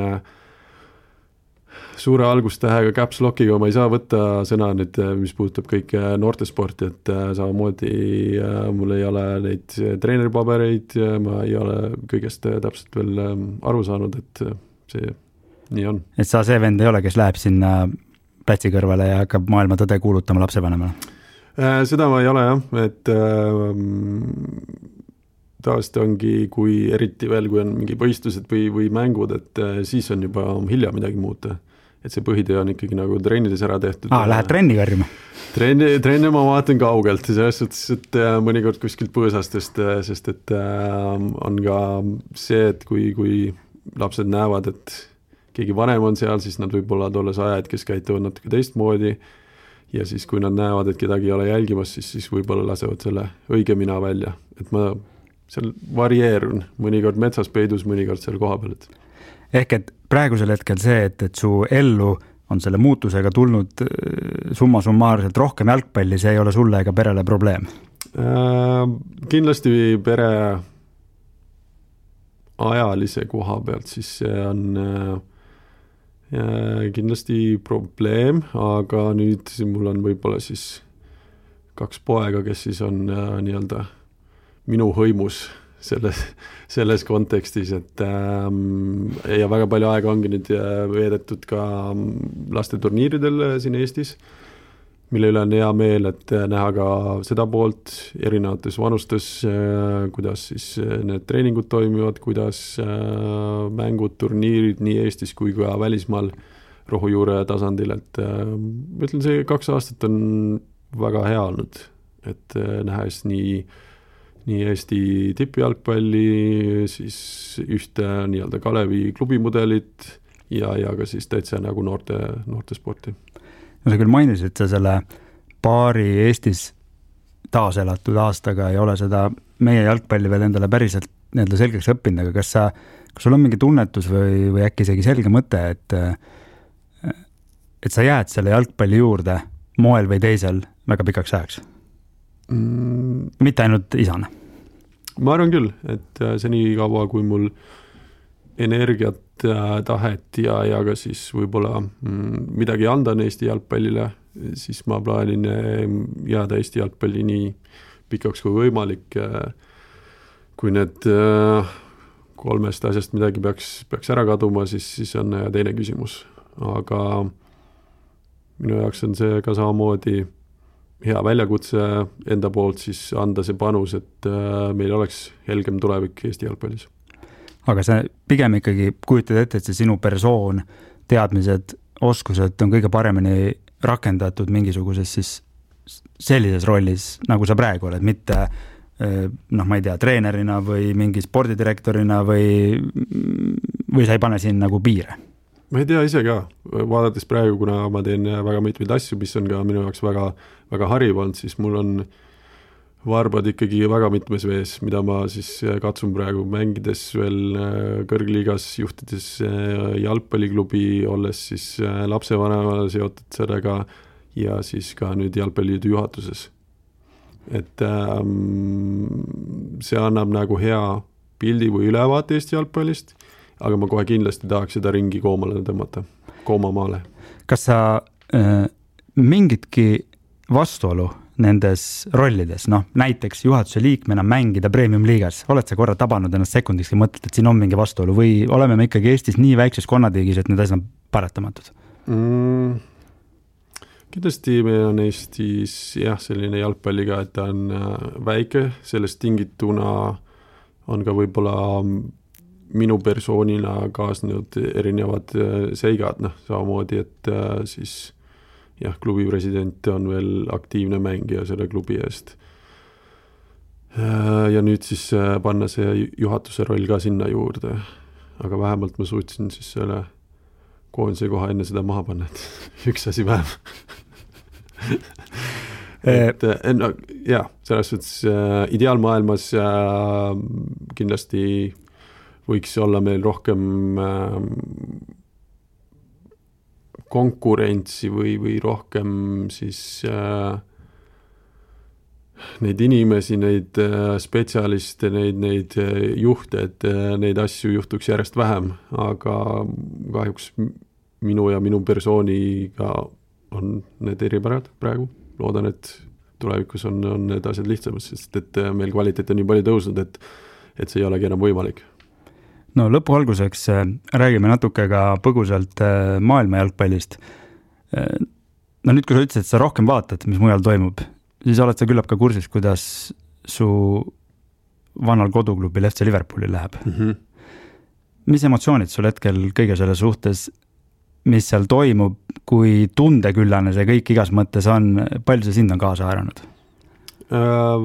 suure algustähega caps lockiga ma ei saa võtta sõna nüüd, mis puudutab kõike noortesporti, et samamoodi mul ei ole neid treeneripabereid, ma ei ole kõigest täpselt veel aru saanud, et see nii on. Et sa see vend ei ole, kes läheb sinna plätsi kõrvale ja hakkab maailma tõde kuulutama lapsevanemale? Seda ma ei ole jah, et taast ongi, kui eriti veel, kui on mingi võistlused või, või mängud, et siis on juba hilja midagi muuta. Et see põhitöö on ikkagi nagu treenides ära tehtud. Aa, lähed trenni karjuma? Trenni, trenni ma vaatan kaugelt, selles suhtes, et mõnikord kuskilt põõsastest, sest et on ka see, et kui, kui lapsed näevad, et keegi vanem on seal, siis nad võib-olla tolles ajad, kes käituvad natuke teistmoodi ja siis kui nad näevad, et kedagi ei ole jälgimas, siis, siis võib-olla lasevad selle õige mina välja. Et ma seal varieerun, mõnikord metsas peidus, mõnikord seal koha peal. Ehk et praegusel hetkel see, et, et su ellu on selle muutusega tulnud summa summaarselt rohkem jalgpalli, see ei ole sulle ega perele probleem? Äh, kindlasti pere ajalise koha pealt, siis see on äh, kindlasti probleem, aga nüüd mul on võib-olla siis kaks poega, kes siis on äh, nii-öelda minu hõimus selles, selles kontekstis, et ähm, ja väga palju aega ongi nüüd veedetud ka laste turniiridel siin Eestis, mille üle on hea meel, et näha ka seda poolt erinevates vanustes, äh, kuidas siis need treeningud toimivad, kuidas äh, mängud, turniirid nii Eestis kui ka välismaal rohujuure tasandil, et äh, ma ütlen, see kaks aastat on väga hea olnud, et äh, nähes nii nii Eesti tippjalgpalli, siis ühte nii-öelda Kalevi klubimudelit ja, ja ka siis täitsa nagu noorte, noorte sporti. No sa küll mainisid, et sa selle paari Eestis taaselatud aastaga ei ole seda meie jalgpalli veel endale päriselt nii-öelda selgeks õppinud, aga kas sa, kas sul on mingi tunnetus või, või äkki isegi selge mõte, et, et sa jääd selle jalgpalli juurde moel või teisel väga pikaks ajaks? Mm. Mitte ainult isana? Ma arvan küll, et see nii kaua, kui mul energiat, tahet ja, ja ka siis võib-olla midagi anda Eesti jalgpallile, siis ma plaanin jääda Eesti jalgpalli nii pikaks kui võimalik. Kui need kolmest asjast midagi peaks, peaks ära kaduma, siis, siis on teine küsimus. Aga minu jaoks on see ka samamoodi hea väljakutse enda poolt siis anda see panus, et meil oleks helgem tulevik Eesti jalgpallis. Aga see pigem ikkagi kujutad ette, et see sinu persoon, teadmised, oskused on kõige paremini rakendatud mingisuguses siis sellises rollis, nagu sa praegu oled, mitte noh, ma ei tea, treenerina või mingi spordidirektorina või, või sa ei pane siin nagu piire? Ma ei tea ise ka, vaadates praegu, kuna ma teen väga mitmeid asju, mis on ka minu jaoks väga, väga hariv olnud, siis mul on varbad ikkagi väga mitmes vees, mida ma siis katsun praegu mängides veel kõrgliigas, juhtides jalgpalliklubi, olles siis lapsevanemale seotud sellega ja siis ka nüüd jalgpalliliidu juhatuses. Et ähm, see annab nagu hea pildi või ülevaate Eesti jalgpallist, aga ma kohe kindlasti tahaks seda ringi koomale tõmmata, koomamaale. Kas sa äh, mingitki vastuolu nendes rollides, noh näiteks juhatuse liikmena mängida premium liigas, oled sa korra tabanud ennast sekundiks ja mõtled, et siin on mingi vastuolu või oleme me ikkagi Eestis nii väikses konnatiigis, et need asjad on paratamatud? Mm, kindlasti meil on Eestis jah, selline jalgpalliga, et ta on väike, sellest tingituna on ka võib-olla minu persoonina kaasnud erinevad seigad, noh samamoodi, et siis jah, klubi president on veel aktiivne mängija selle klubi eest. Ja nüüd siis panna see juhatuse roll ka sinna juurde, aga vähemalt ma suutsin siis selle koondise koha enne seda maha panna, et üks asi vähem. et no, jah, selles suhtes äh, ideaalmaailmas äh, kindlasti võiks olla meil rohkem äh, konkurentsi või, või rohkem siis äh, neid inimesi, neid äh, spetsialiste, neid, neid äh, juhte, et äh, neid asju juhtuks järjest vähem, aga kahjuks minu ja minu persooniga on need eripärad praegu. Loodan, et tulevikus on, on need asjad lihtsamad, sest et meil kvaliteet on nii palju tõusnud, et, et see ei olegi enam võimalik. No lõpu alguseks räägime natuke ka põgusalt maailma jalgpallist. No nüüd, kui sa ütlesid, et sa rohkem vaatad, mis mujal toimub, siis oled sa küllap ka kursis, kuidas su vanal koduklubil F C Liverpooli läheb. Mm-hmm. Mis emotsioonid sul hetkel kõige selle suhtes, mis seal toimub, kui tundeküllane see kõik igas mõttes on, palju see sind on kaasa haaranud? Äh,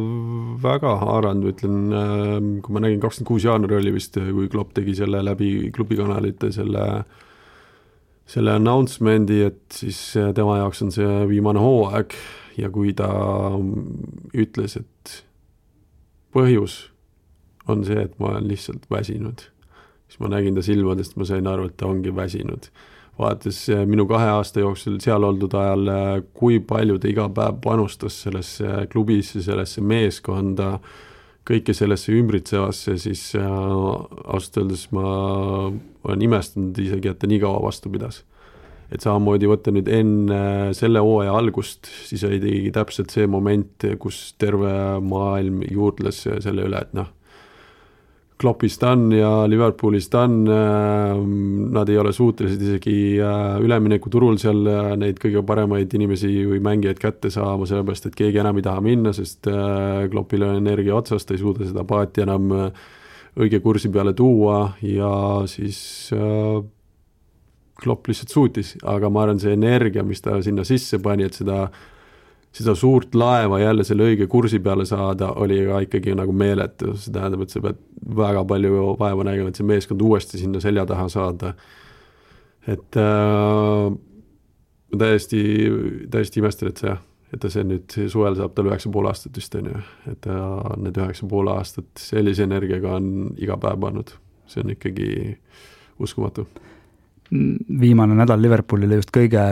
väga haaranud, ütlen, äh, kui ma nägin kakskümmend kuus jaanuari oli vist, kui Klopp tegi selle läbi klubikanalite selle, selle announcemendi, et siis tema jaoks on see viimane hooaeg ja kui ta ütles, et põhjus on see, et ma olen lihtsalt väsinud, siis ma nägin ta silmadest, ma sain aru, et ta ongi väsinud. Vaates minu kahe aasta jooksul seal oldud ajal, kui palju ta iga päev panustas sellesse klubisse, sellesse meeskonda, kõike sellesse ümbritsevasse, siis ausalt öeldes ma olen imestanud isegi, et ta nii kaua vastu pidas. Et samamoodi võtta nüüd enne selle hooaja algust, siis oli tegi täpselt see moment, kus terve maailm juurdles selle üle, et noh, Kloppist on ja Liverpoolist on, nad ei ole suutelised isegi ülemineku turul seal neid kõige paremaid inimesi või mängijaid kätte saama, sellepärast, et keegi enam ei taha minna, sest Kloppil on energia otsast, ta ei suuda seda paati enam õige kursi peale tuua ja siis Klopp lihtsalt suutis, aga ma arvan see energia, mis ta sinna sisse pani, et seda seda suurt laeva jälle selle õige kursi peale saada, oli ka ikkagi nagu meeletu. See tähendab, et sa pead väga palju vaeva nägema, et see meeskond uuesti sinna selja taha saada. Et äh, täiesti, täiesti imestan, et see, et ta see nüüd suvel saab tal üheksa pool aastat vist on ju. Et ta need üheksa pool aastat sellise energiaga on iga päev pannud. See on ikkagi uskumatu. Viimane nädal Liverpoolile just kõige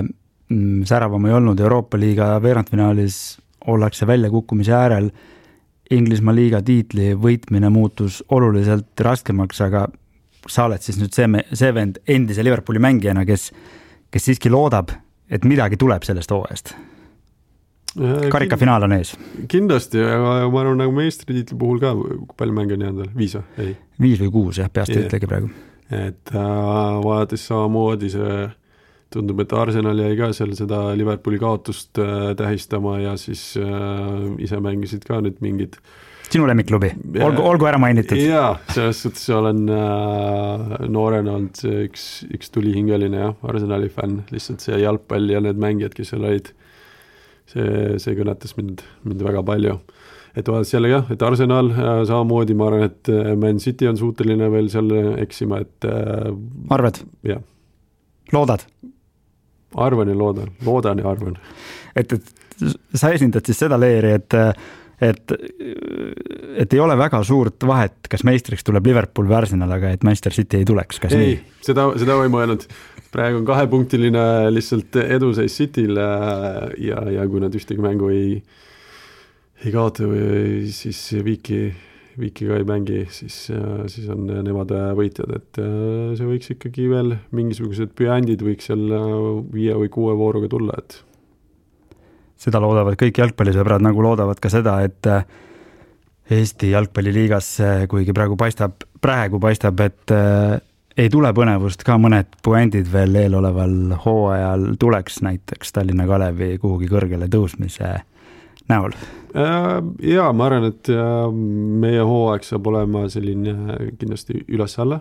säravam ei olnud, Euroopa liiga veerandfinaalis ollakse välja kukkumise äärel, Inglismaa liiga tiitli võitmine muutus oluliselt raskemaks, aga sa oled siis nüüd see, see vend endise Liverpooli mängijana, kes, kes siiski loodab, et midagi tuleb sellest hooajast. Karikafinaal on ees. Kindlasti, aga ma arvan nagu meistritiitli puhul ka, kui palju mänge on jäänud, viis või? Ei. Viis või kuus, jah, peast yeah. ütlegi praegu. Et äh, vaadates samamoodi see tundub, et Arsenal jäi ka seal seda Liverpooli kaotust äh, tähistama ja siis äh, ise mängisid ka nüüd mingid sinu lemmikklubi, olgu, olgu ära mainitud. Jaa, selles suhtes olen äh, noorena olnud üks, üks tulihingeline ja Arsenali fänn, lihtsalt see jalgpall ja need mängijad, kes seal olid, see, see kõnetas mind, mind väga palju. Et vaadates jälle jah, et Arsenal äh, samamoodi, ma arvan, et Man City on suuteline veel seal eksima, et äh, arvad? Jah. Loodad? Arvan ja loodan, loodan ja arvan. Et, et sa esindad siis seda leeri, et, et, et ei ole väga suurt vahet, kas meistriks tuleb Liverpool või Arsenal, aga et Manchester City ei tuleks, kas ei, nii? Seda, seda või mõelnud. praegu on kahepunktiline lihtsalt eduseis Cityl ja, ja kui nad ühtegi mängu ei, ei kaota või siis viiki, viiki ka ei mängi, siis, siis on nemad võitjad, et see võiks ikkagi veel mingisugused püändid võiks seal viie või kuue vooruga tulla, et seda loodavad kõik jalgpallisõbrad, nagu loodavad ka seda, et Eesti jalgpalliliigas, kuigi praegu paistab, praegu paistab, et ei tule põnevust, ka mõned puändid veel eeloleval hooajal tuleks, näiteks Tallinna Kalevi kuhugi kõrgele tõusmise näol. Jaa, ma arvan, et meie hooaeg saab olema selline kindlasti üles-alla.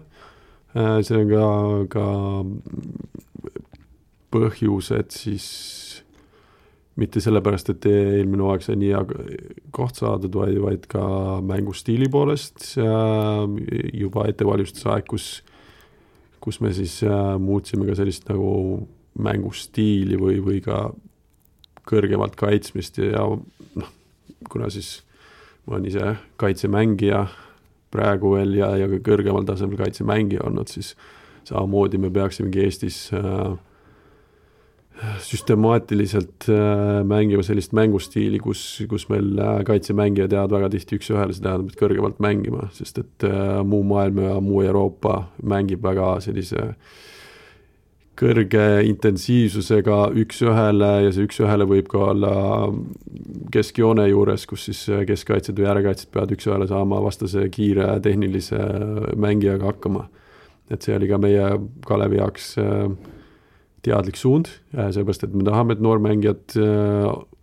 See on ka, ka põhjus, et siis mitte sellepärast, et eelmine hooaeg sai nii koht saadud, vaid, vaid ka mängustiili poolest juba ettevalmistusaeg, kus, kus me siis muutsime ka sellist nagu mängustiili või, või ka kõrgemalt kaitsmist ja noh, kuna siis ma olen ise kaitsemängija praegu veel ja, ja ka kõrgemal tasemel kaitsemängija olnud, siis samamoodi me peaksimegi Eestis süstemaatiliselt mängima sellist mängustiili, kus, kus meil kaitsemängijad jäävad väga tihti üks ühele, see tähendab, et kõrgemalt mängima, sest et muu maailm ja muu Euroopa mängib väga sellise kõrge intensiivsusega üks ühele ja see üks ühele võib ka olla keskjoone juures, kus siis keskkaitsed või äärekaitsed peavad üks ühele saama vastase kiire tehnilise mängijaga hakkama. Et see oli ka meie Kalevi jaoks teadlik suund, seepärast, et me tahame, et noormängijad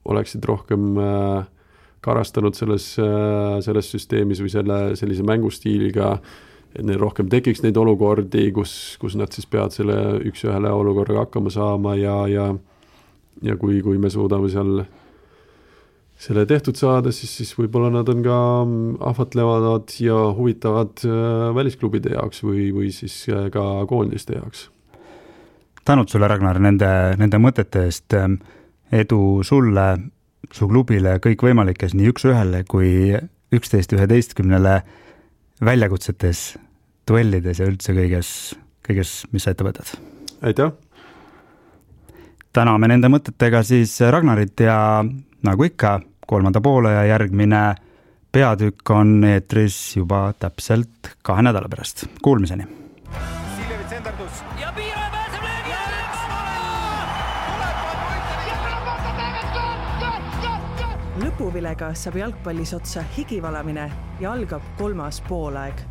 oleksid rohkem karastanud selles, selles süsteemis või selle, sellise mängustiiliga, et neil rohkem tekiks neid olukordi, kus, kus nad siis peavad selle üks ühele olukorraga hakkama saama ja, ja, ja kui, kui me suudame seal selle tehtud saada, siis, siis võib-olla nad on ka ahvatlevad ja huvitavad välisklubide jaoks või, või siis ka koondiste jaoks. Tänud sulle, Ragnar, nende, nende mõtete eest. Edu sulle, su klubile, kõik võimalikes nii üks ühele kui üksteist üheteistkümnele väljakutsetes, duellides ja üldse kõiges, kõiges, mis sa ette võtad. Aitäh! Täname nende mõtetega siis Ragnarit ja nagu ikka, kolmanda poole ja järgmine peatükk on eetris juba täpselt kahe nädala pärast. Kuulmiseni! ja piire pääseb löögi lõpuvilega saab jalgpallis otsa higivalamine ja algab kolmas poolaeg.